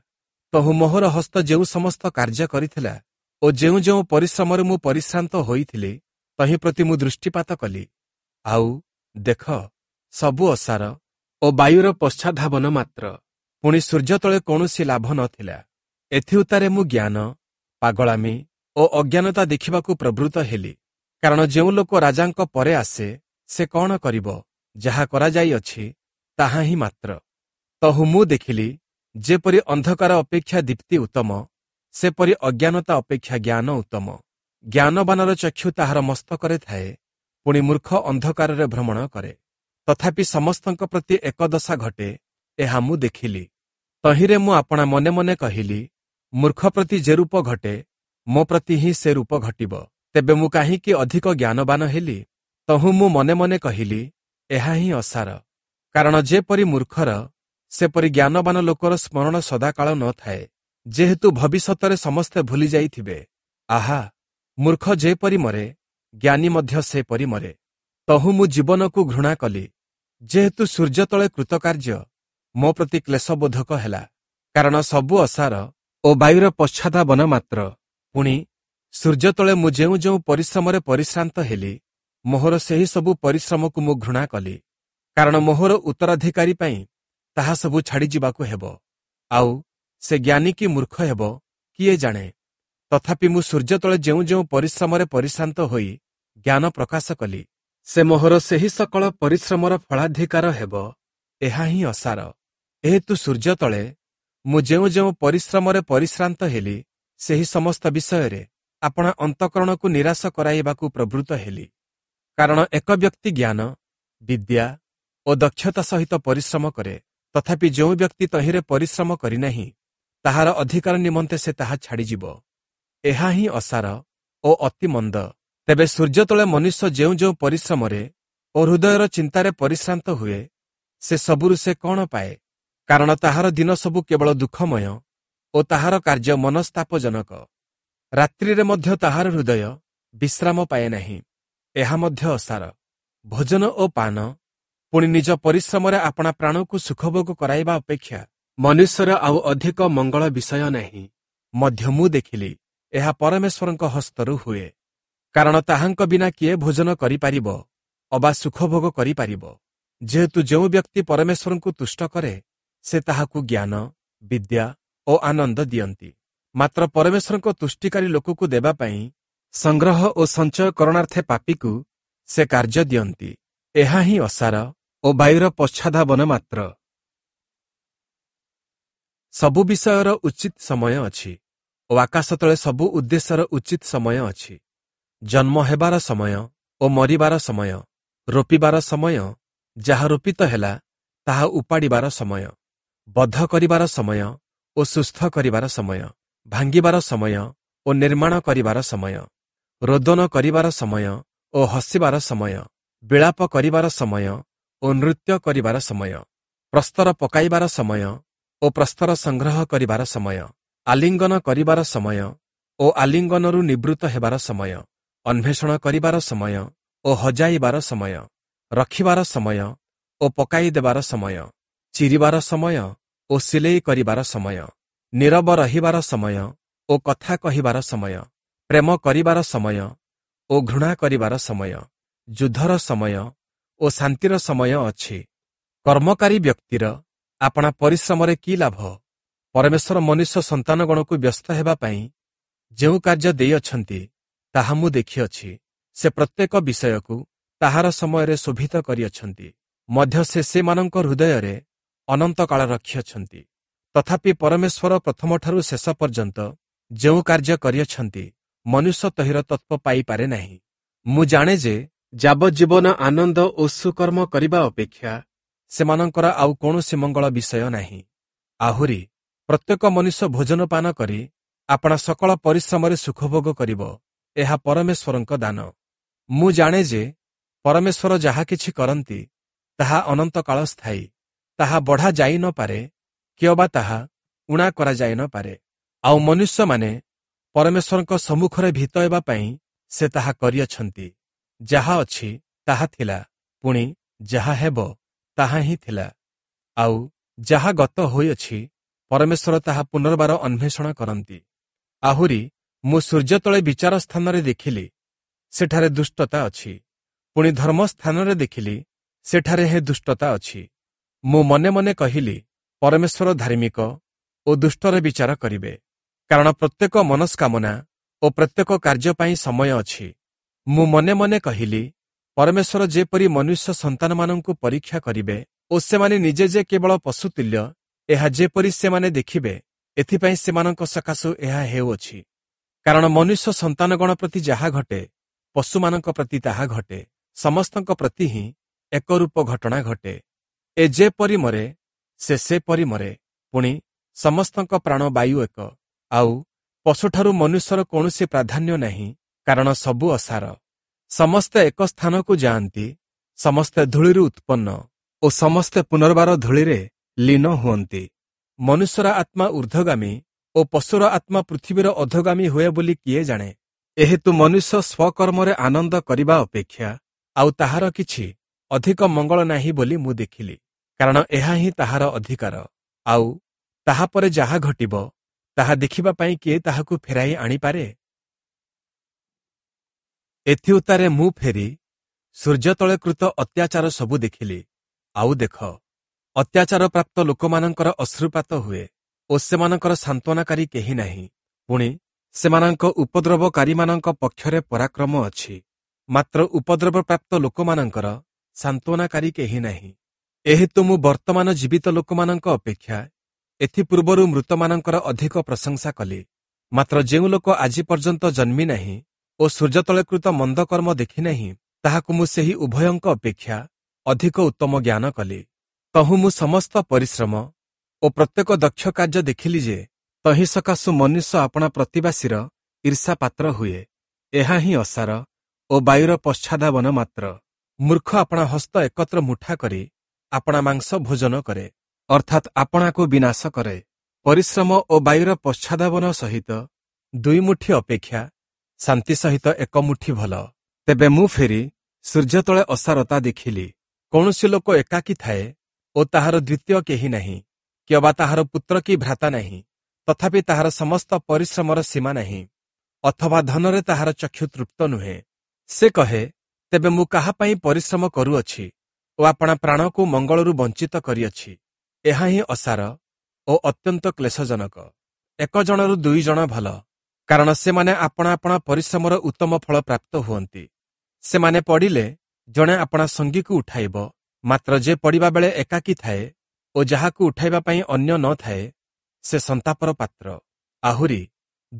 ତହୁଁ ମୋହର ହସ୍ତ ଯେଉଁ ସମସ୍ତ କାର୍ଯ୍ୟ କରିଥିଲା ଓ ଯେଉଁ ଯେଉଁ ପରିଶ୍ରମରେ ମୁଁ ପରିଶ୍ରାନ୍ତ ହୋଇଥିଲି, ତହିଁ ପ୍ରତି ମୁଁ ଦୃଷ୍ଟିପାତ କଲି। ଆଉ ଦେଖ, ସବୁ ଅସାର ଓ ବାୟୁର ପଶ୍ଚାଧାବନ ମାତ୍ର। ପୁଣି ସୂର୍ଯ୍ୟ ତଳେ କୌଣସି ଲାଭ ନଥିଲା। ଏଥିଉତ୍ତାରେ ମୁଁ ଜ୍ଞାନ, ପାଗଳାମି ଓ ଅଜ୍ଞାନତା ଦେଖିବାକୁ ପ୍ରବୃତ୍ତ ହେଲି। କାରଣ ଯେଉଁ ଲୋକ ରାଜାଙ୍କ ପରେ ଆସେ, ସେ କ'ଣ କରିବ? ଯାହା କରାଯାଇଅଛି ତାହା ହିଁ ମାତ୍ର। ତହୁଁ ମୁଁ ଦେଖିଲି, ଯେପରି ଅନ୍ଧକାର ଅପେକ୍ଷା ଦୀପ୍ତି ଉତ୍ତମ, ସେପରି ଅଜ୍ଞାନତା ଅପେକ୍ଷା ଜ୍ଞାନ ଉତ୍ତମ। ଜ୍ଞାନବାନର ଚକ୍ଷୁ ତାହାର ମସ୍ତକରେ ଥାଏ, ପୁଣି ମୂର୍ଖ ଅନ୍ଧକାରରେ ଭ୍ରମଣ କରେ। ତଥାପି ସମସ୍ତଙ୍କ ପ୍ରତି ଏକ ଦଶା ଘଟେ, ଏହା ମୁଁ ଦେଖିଲି। ତହିଁରେ ମୁଁ ଆପଣା ମନେ ମନେ କହିଲି, ମୂର୍ଖ ପ୍ରତି ଯେ ରୂପ ଘଟେ, ମୋ ପ୍ରତି ହିଁ ସେ ରୂପ ଘଟିବ। ତେବେ ମୁଁ କାହିଁକି ଅଧିକ ଜ୍ଞାନବାନ ହେଲି? ତହୁଁ ମୁଁ ମନେ ମନେ କହିଲି, ଏହା ହିଁ ଅସାର। କାରଣ ଯେପରି ମୂର୍ଖର, ସେପରି ଜ୍ଞାନବାନ ଲୋକର ସ୍ମରଣ ସଦାକାଳ ନଥାଏ, ଯେହେତୁ ଭବିଷ୍ୟତରେ ସମସ୍ତେ ଭୁଲି ଯାଇଥିବେ। ଆହା, ମୂର୍ଖ ଯେପରି ମରେ, ଜ୍ଞାନୀ ମଧ୍ୟ ସେପରି ମରେ। ତହୁଁ ମୁଁ ଜୀବନକୁ ଘୃଣା କଲି, ଯେହେତୁ ସୂର୍ଯ୍ୟ ତଳେ କୃତକାର୍ଯ୍ୟ ମୋ ପ୍ରତି କ୍ଲେଶବୋଧକ ହେଲା। କାରଣ ସବୁ ଅସାର ଓ ବାୟୁର ପଶ୍ଚାଧାବନ ମାତ୍ର। ପୁଣି ସୂର୍ଯ୍ୟ ତଳେ ମୁଁ ଯେଉଁ ଯେଉଁ ପରିଶ୍ରମରେ ପରିଶ୍ରାନ୍ତ ହେଲି, ମୋହର ସେହି ସବୁ ପରିଶ୍ରମକୁ ମୁଁ ଘୃଣା କଲି। କାରଣ ମୋହର ଉତ୍ତରାଧିକାରୀ ପାଇଁ ତାହା ସବୁ ଛାଡ଼ିଯିବାକୁ ହେବ। ଆଉ ସେ ଜ୍ଞାନୀ କି ମୂର୍ଖ ହେବ, କିଏ ଜାଣେ? ତଥାପି ମୁଁ ସୂର୍ଯ୍ୟ ତଳେ ଯେଉଁ ଯେଉଁ ପରିଶ୍ରମରେ ପରିଶ୍ରାନ୍ତ ହୋଇ ଜ୍ଞାନ ପ୍ରକାଶ କଲି, ସେ ମୋହର ସେହି ସକଳ ପରିଶ୍ରମର ଫଳାଧିକାର ହେବ। ଏହା ହିଁ ଅସାର। ଏହେତୁ ସୂର୍ଯ୍ୟ ତଳେ ମୁଁ ଯେଉଁ ଯେଉଁ ପରିଶ୍ରମରେ ପରିଶ୍ରାନ୍ତ ହେଲି, ସେହି ସମସ୍ତ ବିଷୟରେ ଆପଣା ଅନ୍ତଃକରଣକୁ ନିରାଶ କରାଇବାକୁ ପ୍ରବୃତ୍ତ ହେଲି। କାରଣ ଏକ ବ୍ୟକ୍ତି ଜ୍ଞାନ, ବିଦ୍ୟା ଓ ଦକ୍ଷତା ସହିତ ପରିଶ୍ରମ କରେ, ତଥାପି ଯେଉଁ ବ୍ୟକ୍ତି ତହିଁରେ ପରିଶ୍ରମ କରିନାହିଁ, ତାହାର ଅଧିକାର ନିମନ୍ତେ ସେ ତାହା ଛାଡ଼ିଯିବ। ଏହା ହିଁ ଅସାର ଓ ଅତି ମନ୍ଦ। ତେବେ ସୂର୍ଯ୍ୟ ତଳେ ମନୁଷ୍ୟ ଯେଉଁ ଯେଉଁ ପରିଶ୍ରମରେ ଓ ହୃଦୟର ଚିନ୍ତାରେ ପରିଶ୍ରାନ୍ତ ହୁଏ, ସେ ସବୁରୁ ସେ କ'ଣ ପାଏ? କାରଣ ତାହାର ଦିନ ସବୁ କେବଳ ଦୁଃଖମୟ ଓ ତାହାର କାର୍ଯ୍ୟ ମନସ୍ତାପଜନକ। ରାତ୍ରିରେ ମଧ୍ୟ ତାହାର ହୃଦୟ ବିଶ୍ରାମ ପାଏ ନାହିଁ। ଏହା ମଧ୍ୟ ଅସାର। ଭୋଜନ ଓ ପାନ, ପୁଣି ନିଜ ପରିଶ୍ରମରେ ଆପଣା ପ୍ରାଣକୁ ସୁଖଭୋଗ କରାଇବା ଅପେକ୍ଷା ମନୁଷ୍ୟର ଆଉ ଅଧିକ ମଙ୍ଗଳ ବିଷୟ ନାହିଁ। ମଧ୍ୟ ମୁଁ ଦେଖିଲି, ଏହା ପରମେଶ୍ୱରଙ୍କ ହସ୍ତରୁ ହୁଏ। କାରଣ ତାହାଙ୍କ ବିନା କିଏ ଭୋଜନ କରିପାରିବ ଅବା ସୁଖଭୋଗ କରିପାରିବ? ଯେହେତୁ ଯେଉଁ ବ୍ୟକ୍ତି ପରମେଶ୍ୱରଙ୍କୁ ତୁଷ୍ଟ କରେ, ସେ ତାହାକୁ ଜ୍ଞାନ, ବିଦ୍ୟା ଓ ଆନନ୍ଦ ଦିଅନ୍ତି। ମାତ୍ର ପରମେଶ୍ୱରଙ୍କ ତୁଷ୍ଟିକାରୀ ଲୋକକୁ ଦେବା ପାଇଁ ସଂଗ୍ରହ ଓ ସଞ୍ଚୟ କରଣାର୍ଥେ ପାପୀକୁ ସେ କାର୍ଯ୍ୟ ଦିଅନ୍ତି। ଏହା ହିଁ ଅସାର ଓ ବାୟୁର ପଶ୍ଚାଧାବନ ମାତ୍ର। ସବୁ ବିଷୟର ଉଚିତ ସମୟ ଅଛି ଓ ଆକାଶ ତଳେ ସବୁ ଉଦ୍ଦେଶ୍ୟର ଉଚିତ ସମୟ ଅଛି। ଜନ୍ମ ହେବାର ସମୟ ଓ ମରିବାର ସମୟ, ରୋପିବାର ସମୟ, ଯାହା ରୋପିତ ହେଲା ତାହା ଉପାଡ଼ିବାର ସମୟ, ବଧ କରିବାର ସମୟ ଓ ସୁସ୍ଥ କରିବାର ସମୟ, ଭାଙ୍ଗିବାର ସମୟ ଓ ନିର୍ମାଣ କରିବାର ସମୟ, ରୋଦନ କରିବାର ସମୟ ଓ ହସିବାର ସମୟ, ବିଳାପ କରିବାର ସମୟ ଓ ନୃତ୍ୟ କରିବାର ସମୟ, ପ୍ରସ୍ତର ପକାଇବାର ସମୟ ଓ ପ୍ରସ୍ତର ସଂଗ୍ରହ କରିବାର ସମୟ, ଆଲିଙ୍ଗନ କରିବାର ସମୟ ଓ ଆଲିଙ୍ଗନରୁ ନିବୃତ୍ତ ହେବାର ସମୟ, ଅନ୍ୱେଷଣ କରିବାର ସମୟ ଓ ହଜାଇବାର ସମୟ, ରଖିବାର ସମୟ ଓ ପକାଇ ଦେବାର ସମୟ, ଚିରିବାର ସମୟ ଓ ସିଲେଇ କରିବାର ସମୟ, ନୀରବ ରହିବାର ସମୟ ଓ କଥା କହିବାର ସମୟ, ପ୍ରେମ କରିବାର ସମୟ ଓ ଘୃଣା କରିବାର ସମୟ, ଯୁଦ୍ଧର ସମୟ ଓ ଶାନ୍ତିର ସମୟ ଅଛି। କର୍ମକାରୀ ବ୍ୟକ୍ତିର ଆପଣା ପରିଶ୍ରମରେ କି ଲାଭ? ପରମେଶ୍ୱର ମନୁଷ୍ୟ ସନ୍ତାନଗଣକୁ ବ୍ୟସ୍ତ ହେବା ପାଇଁ ଯେଉଁ କାର୍ଯ୍ୟ ଦେଇଅଛନ୍ତି, ତାହା ମୁଁ ଦେଖିଅଛି। ସେ ପ୍ରତ୍ୟେକ ବିଷୟକୁ ତାହାର ସମୟରେ ଶୋଭିତ କରିଅଛନ୍ତି, ମଧ୍ୟ ସେ ସେମାନଙ୍କ ହୃଦୟରେ ଅନନ୍ତକାଳ ରଖିଅଛନ୍ତି। ତଥାପି ପରମେଶ୍ୱର ପ୍ରଥମଠାରୁ ଶେଷ ପର୍ଯ୍ୟନ୍ତ ଯେଉଁ କାର୍ଯ୍ୟ କରିଅଛନ୍ତି, ମନୁଷ୍ୟ ତହିଁର ତତ୍ତ୍ୱ ପାଇପାରେ ନାହିଁ। ମୁଁ ଜାଣେ ଯେ ଯାବଜ୍ଜୀବନ ଆନନ୍ଦ ଓ ସୁକର୍ମ କରିବା ଅପେକ୍ଷା ସେମାନଙ୍କର ଆଉ କୌଣସି ମଙ୍ଗଳ ବିଷୟ ନାହିଁ। ଆହୁରି ପ୍ରତ୍ୟେକ ମନୁଷ୍ୟ ଭୋଜନ ପାନ କରି ଆପଣା ସକଳ ପରିଶ୍ରମରେ ସୁଖଭୋଗ କରିବ, ଏହା ପରମେଶ୍ୱରଙ୍କ ଦାନ। ମୁଁ ଜାଣେ ଯେ ପରମେଶ୍ୱର ଯାହା କିଛି କରନ୍ତି, ତାହା ଅନନ୍ତକାଳ ସ୍ଥାୟୀ, ତାହା ବଢ଼ା ଯାଇ ନ ପାରେ କିଅବା ତାହା ଊଣା କରାଯାଇ ନ ପାରେ। ଆଉ ମନୁଷ୍ୟମାନେ ପରମେଶ୍ୱରଙ୍କ ସମ୍ମୁଖରେ ଭୀତ ହେବା ପାଇଁ ସେ ତାହା କରିଅଛନ୍ତି। ଯାହା ଅଛି ତାହା ଥିଲା, ପୁଣି ଯାହା ହେବ ତାହା ହିଁ ଥିଲା। ଆଉ ଯାହା ଗତ ହୋଇଅଛି, ପରମେଶ୍ୱର ତାହା ପୁନର୍ବାର ଅନ୍ୱେଷଣ କରନ୍ତି। ଆହୁରି ମୁଁ ସୂର୍ଯ୍ୟ ତଳେ ବିଚାର ସ୍ଥାନରେ ଦେଖିଲି, ସେଠାରେ ଦୁଷ୍ଟତା ଅଛି। ପୁଣି ଧର୍ମ ସ୍ଥାନରେ ଦେଖିଲି, ସେଠାରେ ହେ ଦୁଷ୍ଟତା ଅଛି। ମୁଁ ମନେ ମନେ କହିଲି, ପରମେଶ୍ୱର ଧାର୍ମିକ ଓ ଦୁଷ୍ଟର ବିଚାର କରିବେ, କାରଣ ପ୍ରତ୍ୟେକ ମନସ୍କାମନା ଓ ପ୍ରତ୍ୟେକ କାର୍ଯ୍ୟ ପାଇଁ ସମୟ ଅଛି। ମୁଁ ମନେ ମନେ କହିଲି, ପରମେଶ୍ୱର ଯେପରି ମନୁଷ୍ୟ ସନ୍ତାନମାନଙ୍କୁ ପରୀକ୍ଷା କରିବେ ଓ ସେମାନେ ନିଜେ ଯେ କେବଳ ପଶୁତୁଲ୍ୟ, ଏହା ଯେପରି ସେମାନେ ଦେଖିବେ, ଏଥିପାଇଁ ସେମାନଙ୍କ ସକାଶୁ ଏହା ହେଉଅଛି। କାରଣ ମନୁଷ୍ୟ ସନ୍ତାନଗଣ ପ୍ରତି ଯାହା ଘଟେ, ପଶୁମାନଙ୍କ ପ୍ରତି ତାହା ଘଟେ, ସମସ୍ତଙ୍କ ପ୍ରତି ହିଁ ଏକରୂପ ଘଟଣା ଘଟେ। ଏ ଯେପରି ମରେ, ସେ ସେପରି ମରେ, ପୁଣି ସମସ୍ତଙ୍କ ପ୍ରାଣ ବାୟୁ ଏକ। ଆଉ ପଶୁଠାରୁ ମନୁଷ୍ୟର କୌଣସି ପ୍ରାଧାନ୍ୟ ନାହିଁ, କାରଣ ସବୁ ଅସାର। ସମସ୍ତେ ଏକ ସ୍ଥାନକୁ ଯାଆନ୍ତି, ସମସ୍ତେ ଧୂଳିରୁ ଉତ୍ପନ୍ନ ଓ ସମସ୍ତେ ପୁନର୍ବାର ଧୂଳିରେ ଲୀନ ହୁଅନ୍ତି। ମନୁଷ୍ୟର ଆତ୍ମା ଊର୍ଦ୍ଧ୍ୱଗାମୀ ଓ ପଶୁର ଆତ୍ମା ପୃଥିବୀର ଅଧୋଗାମୀ ହୁଏ ବୋଲି କିଏ ଜାଣେ? ଏହେତୁ ମନୁଷ୍ୟ ସ୍ୱକର୍ମରେ ଆନନ୍ଦ କରିବା ଅପେକ୍ଷା ଆଉ ତାହାର କିଛି ଅଧିକ ମଙ୍ଗଳ ନାହିଁ ବୋଲି ମୁଁ ଦେଖିଲି, କାରଣ ଏହା ହିଁ ତାହାର ଅଧିକାର। ଆଉ ତାହାପରେ ଯାହା ଘଟିବ, ତାହା ଦେଖିବା ପାଇଁ କିଏ ତାହାକୁ ଫେରାଇ ଆଣିପାରେ? ଏଥିଉତ୍ତାରେ ମୁଁ ଫେରି ସୂର୍ଯ୍ୟ ତଳେ କୃତ ଅତ୍ୟାଚାର ସବୁ ଦେଖିଲି। ଆଉ ଦେଖ, ଅତ୍ୟାଚାର ପ୍ରାପ୍ତ ଲୋକମାନଙ୍କର ଅଶ୍ରୁପାତ ହୁଏ ଓ ସେମାନଙ୍କର ସାନ୍ତ୍ୱନାକାରୀ କେହି ନାହିଁ। ପୁଣି ସେମାନଙ୍କ ଉପଦ୍ରବକାରୀମାନଙ୍କ ପକ୍ଷରେ ପରାକ୍ରମ ଅଛି, ମାତ୍ର ଉପଦ୍ରବପ୍ରାପ୍ତ ଲୋକମାନଙ୍କର ସାନ୍ତ୍ୱନାକାରୀ କେହି ନାହିଁ। ଏହେତୁ ମୁଁ ବର୍ତ୍ତମାନ ଜୀବିତ ଲୋକମାନଙ୍କ ଅପେକ୍ଷା ଏଥିପୂର୍ବରୁ ମୃତମାନଙ୍କର ଅଧିକ ପ୍ରଶଂସା କଲି। ମାତ୍ର ଯେଉଁ ଲୋକ ଆଜି ପର୍ଯ୍ୟନ୍ତ ଜନ୍ମି ନାହିଁ ଓ ସୂର୍ଯ୍ୟ ତଳେ କୃତ ମନ୍ଦ କର୍ମ ଦେଖିନାହିଁ, ତାହାକୁ ମୁଁ ସେହି ଉଭୟଙ୍କ ଅପେକ୍ଷା ଅଧିକ ଉତ୍ତମ ଜ୍ଞାନ କଲି। ତହୁଁ ମୁଁ ସମସ୍ତ ପରିଶ୍ରମ ଓ ପ୍ରତ୍ୟେକ ଦକ୍ଷ କାର୍ଯ୍ୟ ଦେଖିଲି ଯେ ତହିଁ ସକାଶୁ ମନୁଷ୍ୟ ଆପଣା ପ୍ରତିବାସୀର ଈର୍ଷା ପାତ୍ର ହୁଏ। ଏହା ହିଁ ଅସାର ଓ ବାୟୁର ପଶ୍ଚାଧାବନ ମାତ୍ର। ମୂର୍ଖ ଆପଣା ହସ୍ତ ଏକତ୍ର ମୁଠା କରି ଆପଣା ମାଂସ ଭୋଜନ କରେ, ଅର୍ଥାତ୍ ଆପଣାକୁ ବିନାଶ କରେ। ପରିଶ୍ରମ ଓ ବାୟୁର ପଶ୍ଚାଧାବନ ସହିତ ଦୁଇ ମୁଠି ଅପେକ୍ଷା ଶାନ୍ତି ସହିତ ଏକ ମୁଠି ଭଲ। ତେବେ ମୁଁ ଫେରି ସୂର୍ଯ୍ୟ ତଳେ ଅସାରତା ଦେଖିଲି। କୌଣସି ଲୋକ ଏକାକୀ ଥାଏ ଓ ତାହାର ଦ୍ୱିତୀୟ କେହି ନାହିଁ, କିଅବା ତାହାର ପୁତ୍ର କି ଭ୍ରାତା ନାହିଁ। ତଥାପି ତାହାର ସମସ୍ତ ପରିଶ୍ରମର ସୀମା ନାହିଁ, ଅଥବା ଧନରେ ତାହାର ଚକ୍ଷୁ ତୃପ୍ତ ନୁହେଁ। ସେ କହେ, ତେବେ ମୁଁ କାହା ପାଇଁ ପରିଶ୍ରମ କରୁଅଛି ଓ ଆପଣା ପ୍ରାଣକୁ ମଙ୍ଗଳରୁ ବଞ୍ଚିତ କରିଅଛି? ଏହା ହିଁ ଅସାର ଓ ଅତ୍ୟନ୍ତ କ୍ଲେଶଜନକ। ଏକ ଜଣରୁ ଦୁଇ ଜଣ ଭଲ, କାରଣ ସେମାନେ ଆପଣା ଆପଣା ପରିଶ୍ରମର ଉତ୍ତମ ଫଳ ପ୍ରାପ୍ତ ହୁଅନ୍ତି। ସେମାନେ ପଡ଼ିଲେ ଜଣେ ଆପଣା ସଙ୍ଗୀକୁ ଉଠାଇବ, ମାତ୍ର ଯେ ପଡ଼ିବା ବେଳେ ଏକାକୀ ଥାଏ ଓ ଯାହାକୁ ଉଠାଇବା ପାଇଁ ଅନ୍ୟ ନ ଥାଏ, ସେ ସନ୍ତାପର ପାତ୍ର। ଆହୁରି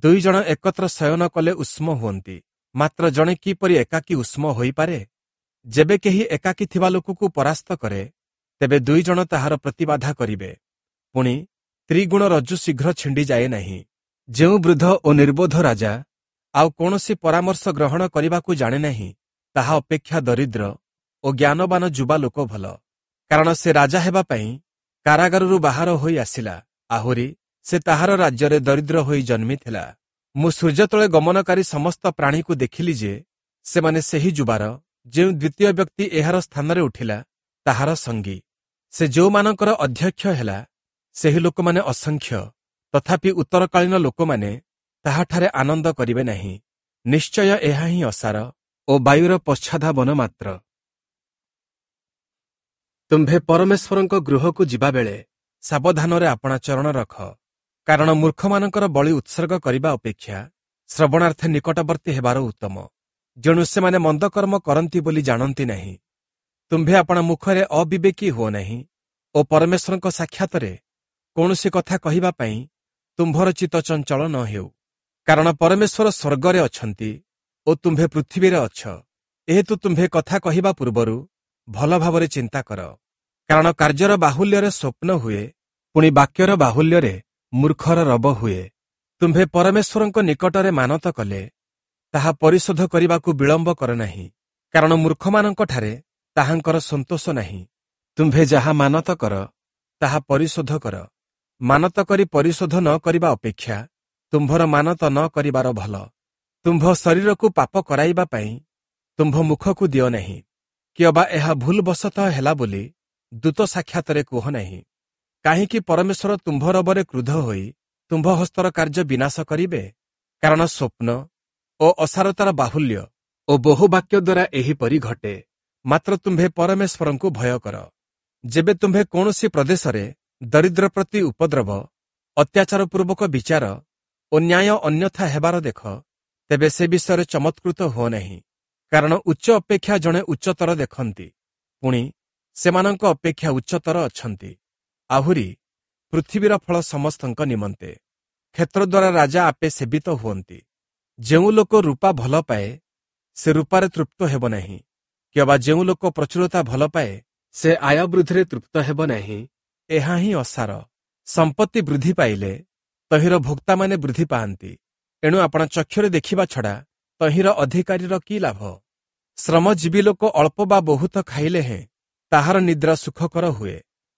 ଦୁଇ ଜଣ ଏକତ୍ର ଶୟନ କଲେ ଉଷ୍ମ ହୁଅନ୍ତି, ମାତ୍ର ଜଣେ କିପରି ଏକାକୀ ଉଷ୍ମ ହୋଇପାରେ? ଯେବେ କେହି ଏକାକୀ ଥିବା ଲୋକକୁ ପରାସ୍ତ କରେ, ତେବେ ଦୁଇ ଜଣ ତାହାର ପ୍ରତିବାଧା କରିବେ। ପୁଣି ତ୍ରିଗୁଣ ରଜ୍ଜୁ ଶୀଘ୍ର ଛିଣ୍ଡିଯାଏ ନାହିଁ। ଯେଉଁ ବୃଦ୍ଧ ଓ ନିର୍ବୋଧ ରାଜା ଆଉ କୌଣସି ପରାମର୍ଶ ଗ୍ରହଣ କରିବାକୁ ଜାଣେ ନାହିଁ, ତାହା ଅପେକ୍ଷା ଦରିଦ୍ର ଓ ଜ୍ଞାନବାନ ଯୁବା ଲୋକ ଭଲ, କାରଣ ସେ ରାଜା ହେବା ପାଇଁ କାରାଗାରରୁ ବାହାର ହୋଇ ଆସିଲା। ଆହୁରି ସେ ତାହାର ରାଜ୍ୟରେ ଦରିଦ୍ର ହୋଇ ଜନ୍ମିଥିଲା। ମୁଁ ସୂର୍ଯ୍ୟ ତଳେ ଗମନକାରୀ ସମସ୍ତ ପ୍ରାଣୀକୁ ଦେଖିଲି ଯେ ସେମାନେ ସେହି ଯୁବାର ଯେଉଁ ଦ୍ୱିତୀୟ ବ୍ୟକ୍ତି ଏହାର ସ୍ଥାନରେ ଉଠିଲା, ତାହାର ସଙ୍ଗୀ। ସେ ଯେଉଁମାନଙ୍କର ଅଧ୍ୟକ୍ଷ ହେଲା, ସେହି ଲୋକମାନେ ଅସଂଖ୍ୟ, ତଥାପି ଉତ୍ତରକାଳୀନ ଲୋକମାନେ ତାହାଠାରେ ଆନନ୍ଦ କରିବେ ନାହିଁ। ନିଶ୍ଚୟ ଏହା ହିଁ ଅସାର ଓ ବାୟୁର ପଶ୍ଚାଧାବନ ମାତ୍ର। ତୁମ୍ଭେ ପରମେଶ୍ୱରଙ୍କ ଗୃହକୁ ଯିବାବେଳେ ସାବଧାନରେ ଆପଣା ଚରଣ ରଖ, କାରଣ ମୂର୍ଖମାନଙ୍କର ବଳି ଉତ୍ସର୍ଗ କରିବା ଅପେକ୍ଷା ଶ୍ରବଣାର୍ଥେ ନିକଟବର୍ତ୍ତୀ ହେବାର ଉତ୍ତମ। ଯେଣୁ ସେମାନେ ମନ୍ଦକର୍ମ କରନ୍ତି ବୋଲି ଜାଣନ୍ତି ନାହିଁ। ତୁମ୍ଭେ ଆପଣା ମୁଖରେ ଅବିବେକୀ ହୁଅ ନାହିଁ ଓ ପରମେଶ୍ୱରଙ୍କ ସାକ୍ଷାତରେ କୌଣସି କଥା କହିବା ପାଇଁ ତୁମ୍ଭର ଚିତ୍ତ ଚଞ୍ଚଳ ନ ହେଉ। କାରଣ ପରମେଶ୍ୱର ସ୍ୱର୍ଗରେ ଅଛନ୍ତି ଓ ତୁମ୍ଭେ ପୃଥିବୀରେ ଅଛ। ଏହେତୁ ତୁମ୍ଭେ କଥା କହିବା ପୂର୍ବରୁ ଭଲ ଭାବରେ ଚିନ୍ତା କର। କାରଣ କାର୍ଯ୍ୟର ବାହୁଲ୍ୟରେ ସ୍ୱପ୍ନ ହୁଏ, ପୁଣି ବାକ୍ୟର ବାହୁଲ୍ୟରେ ମୂର୍ଖର ରବ ହୁଏ। ତୁମ୍ଭେ ପରମେଶ୍ୱରଙ୍କ ନିକଟରେ ମାନତ କଲେ ତାହା ପରିଶୋଧ କରିବାକୁ ବିଳମ୍ବ କର ନାହିଁ, କାରଣ ମୂର୍ଖମାନଙ୍କଠାରେ ତାହାଙ୍କର ସନ୍ତୋଷ ନାହିଁ। ତୁମ୍ଭେ ଯାହା ମାନତ କର ତାହା ପରିଶୋଧ କର। ମାନତ କରି ପରିଶୋଧ ନ କରିବା ଅପେକ୍ଷା ତୁମ୍ଭର ମାନତ ନ କରିବାର ଭଲ। ତୁମ୍ଭ ଶରୀରକୁ ପାପ କରାଇବା ପାଇଁ ତୁମ୍ଭ ମୁଖକୁ ଦିଅ ନାହିଁ, କିଅବା ଏହା ଭୁଲବଶତଃ ହେଲା ବୋଲି ଦୂତ ସାକ୍ଷାତରେ କୁହ ନାହିଁ। କାହିଁକି ପରମେଶ୍ୱର ତୁମ୍ଭ ରବରେ କ୍ରୁଦ୍ଧ ହୋଇ ତୁମ୍ଭ ହସ୍ତର କାର୍ଯ୍ୟ ବିନାଶ କରିବେ? କାରଣ ସ୍ୱପ୍ନ ଓ ଅସାରତାର ବାହୁଲ୍ୟ ଓ ବହୁ ବାକ୍ୟ ଦ୍ୱାରା ଏହିପରି ଘଟେ। ମାତ୍ର ତୁମ୍ଭେ ପରମେଶ୍ୱରଙ୍କୁ ଭୟ କର। ଯେବେ ତୁମ୍ଭେ କୌଣସି ପ୍ରଦେଶରେ ଦରିଦ୍ର ପ୍ରତି ଉପଦ୍ରବ, ଅତ୍ୟାଚାରପୂର୍ବକ ବିଚାର ଓ ନ୍ୟାୟ ଅନ୍ୟଥା ହେବାର ଦେଖ, ତେବେ ସେ ବିଷୟରେ ଚମତ୍କୃତ ହୁଅ ନାହିଁ। କାରଣ ଉଚ୍ଚ ଅପେକ୍ଷା ଜଣେ ଉଚ୍ଚତର ଦେଖନ୍ତି, ପୁଣି ସେମାନଙ୍କ ଅପେକ୍ଷା ଉଚ୍ଚତର ଅଛନ୍ତି। ଆହୁରି ପୃଥିବୀର ଫଳ ସମସ୍ତଙ୍କ ନିମନ୍ତେ। କ୍ଷେତ୍ର ଦ୍ୱାରା ରାଜା ଆପେ ସେବିତ ହୁଅନ୍ତି। ଯେଉଁ ଲୋକ ରୂପା ଭଲ ପାଏ ସେ ରୂପାରେ ତୃପ୍ତ ହେବ ନାହିଁ, କିମ୍ବା ଯେଉଁ ଲୋକ ପ୍ରଚୁରତା ଭଲ ପାଏ ସେ ଆୟ ବୃଦ୍ଧିରେ ତୃପ୍ତ ହେବ ନାହିଁ। ଏହା ହିଁ ଅସାର। ସମ୍ପତ୍ତି ବୃଦ୍ଧି ପାଇଲେ ତହିଁର ଭୋକ୍ତାମାନେ ବୃଦ୍ଧି ପାଆନ୍ତି। ଏଣୁ ଆପଣ ଚକ୍ଷୁରେ ଦେଖିବା ଛଡ଼ା ତହିଁର ଅଧିକାରୀର କି ଲାଭ? ଶ୍ରମଜୀବୀ ଲୋକ ଅଳ୍ପ ବା ବହୁତ ଖାଇଲେ ହେଁ ତାହାର ନିଦ୍ରା ସୁଖକର ହୁଏ,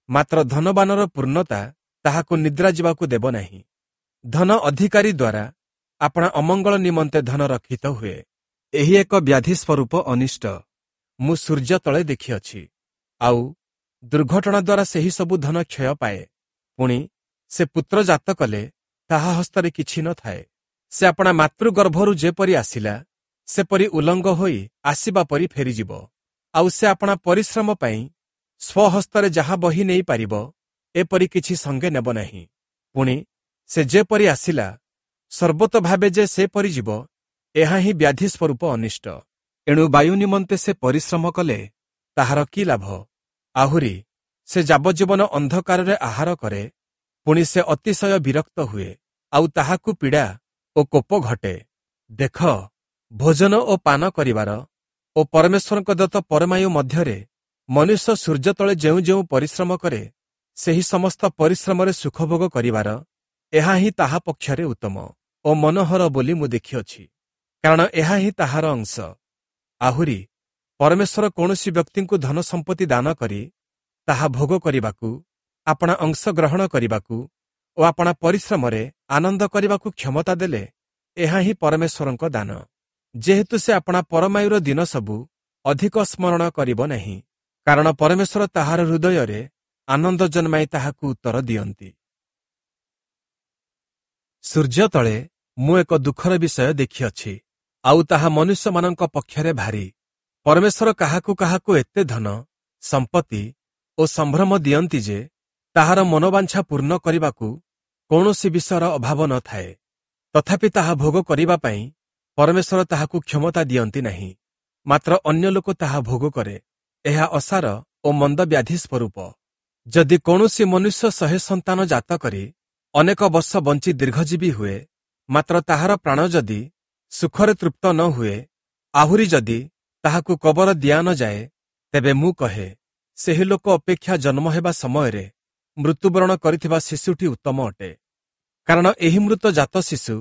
ମାତ୍ର ଧନବାନର ପୂର୍ଣ୍ଣତା ତାହାକୁ ନିଦ୍ରା ଯିବାକୁ ଦେବ ନାହିଁ। ଧନ ଅଧିକାରୀ ଦ୍ୱାରା ଆପଣା ଅମଙ୍ଗଳ ନିମନ୍ତେ ଧନ ରକ୍ଷିତ ହୁଏ। ଏହି ଏକ ବ୍ୟାଧି ସ୍ୱରୂପ ଅନିଷ୍ଟ ମୁଁ ସୂର୍ଯ୍ୟ ତଳେ ଦେଖିଅଛି। ଆଉ ଦୁର୍ଘଟଣା ଦ୍ୱାରା ସେହି ସବୁ ଧନ କ୍ଷୟ ପାଏ। ପୁଣି ସେ ପୁତ୍ର ଜାତ କଲେ ତାହା ହସ୍ତରେ କିଛି ନଥାଏ। ସେ ଆପଣା ମାତୃଗର୍ଭରୁ ଯେପରି ଆସିଲା ସେପରି ଉଲଙ୍ଗ ହୋଇ ଆସିବା ପରି ଫେରିଯିବ। ଆଉ ସେ ଆପଣା ପରିଶ୍ରମ ପାଇଁ ସ୍ୱହସ୍ତରେ ଯାହା ବହି ନେଇପାରିବ ଏପରି କିଛି ସଙ୍ଗେ ନେବ ନାହିଁ। ପୁଣି ସେ ଯେପରି ଆସିଲା ସର୍ବତ ଭାବେ ଯେ ସେପରି ଯିବ, ଏହା ହିଁ ବ୍ୟାଧି ସ୍ୱରୂପ ଅନିଷ୍ଟ। ଏଣୁ ବାୟୁ ନିମନ୍ତେ ସେ ପରିଶ୍ରମ କଲେ ତାହାର କି ଲାଭ? ଆହୁରି ସେ ଯାବଜ୍ଜୀବନ ଅନ୍ଧକାରରେ ଆହାର କରେ, ପୁଣି ସେ ଅତିଶୟ ବିରକ୍ତ ହୁଏ, ଆଉ ତାହାକୁ ପୀଡ଼ା ଓ କୋପ ଘଟେ। ଦେଖ, ଭୋଜନ ଓ ପାନ କରିବାର ଓ ପରମେଶ୍ୱରଙ୍କ ଦତ୍ତ ପରମାୟୁ ମଧ୍ୟରେ ମନୁଷ୍ୟ ସୂର୍ଯ୍ୟ ତଳେ ଯେଉଁ ଯେଉଁ ପରିଶ୍ରମ କରେ ସେହି ସମସ୍ତ ପରିଶ୍ରମରେ ସୁଖଭୋଗ କରିବାର ଏହା ହିଁ ତାହା ପକ୍ଷରେ ଉତ୍ତମ ଓ ମନୋହର ବୋଲି ମୁଁ ଦେଖିଅଛି, କାରଣ ଏହା ହିଁ ତାହାର ଅଂଶ। ଆହୁରି ପରମେଶ୍ୱର କୌଣସି ବ୍ୟକ୍ତିଙ୍କୁ ଧନ ସମ୍ପତ୍ତି ଦାନ କରି ତାହା ଭୋଗ କରିବାକୁ, ଆପଣା ଅଂଶ ଗ୍ରହଣ କରିବାକୁ ଓ ଆପଣା ପରିଶ୍ରମରେ ଆନନ୍ଦ କରିବାକୁ କ୍ଷମତା ଦେଲେ ଏହା ହିଁ ପରମେଶ୍ୱରଙ୍କ ଦାନ। ଯେହେତୁ ସେ ଆପଣା ପରମାୟୁର ଦିନ ସବୁ ଅଧିକ ସ୍ମରଣ କରିବ ନାହିଁ, କାରଣ ପରମେଶ୍ୱର ତାହାର ହୃଦୟରେ ଆନନ୍ଦ ଜନ୍ମାଇ ତାହାକୁ ଉତ୍ତର ଦିଅନ୍ତି। ସୂର୍ଯ୍ୟ ତଳେ ମୁଁ ଏକ ଦୁଃଖର ବିଷୟ ଦେଖିଅଛି, ଆଉ ତାହା ମନୁଷ୍ୟମାନଙ୍କ ପକ୍ଷରେ ଭାରି। ପରମେଶ୍ୱର କାହାକୁ କାହାକୁ ଏତେ ଧନ, ସମ୍ପତ୍ତି ଓ ସମ୍ଭ୍ରମ ଦିଅନ୍ତି ଯେ ତାହାର ମନୋବାଞ୍ଛା ପୂର୍ଣ୍ଣ କରିବାକୁ କୌଣସି ବିଷୟର ଅଭାବ ନଥାଏ। ତଥାପି ତାହା ଭୋଗ କରିବା ପାଇଁ ପରମେଶ୍ୱର ତାହାକୁ କ୍ଷମତା ଦିଅନ୍ତି ନାହିଁ, ମାତ୍ର ଅନ୍ୟ ଲୋକ ତାହା ଭୋଗ କରେ। ଏହା ଅସାର ଓ ମନ୍ଦ ବ୍ୟାଧି ସ୍ୱରୂପ। ଯଦି କୌଣସି ମନୁଷ୍ୟ ଶହେ ସନ୍ତାନ ଜାତ କରି ଅନେକ ବର୍ଷ ବଞ୍ଚି ଦୀର୍ଘଜୀବୀ ହୁଏ, ମାତ୍ର ତାହାର ପ୍ରାଣ ଯଦି ସୁଖରେ ତୃପ୍ତ ନ ହୁଏ, ଆହୁରି ଯଦି ତାହାକୁ କବର ଦିଆ ନ ଯାଏ, ତେବେ ମୁଁ କହେ, ସେହି ଲୋକ ଅପେକ୍ଷା ଜନ୍ମ ହେବା ସମୟରେ ମୃତ୍ୟୁବରଣ କରିଥିବା ଶିଶୁଟି ଉତ୍ତମ ଅଟେ। କାରଣ ଏହି ମୃତ ଜାତ ଶିଶୁ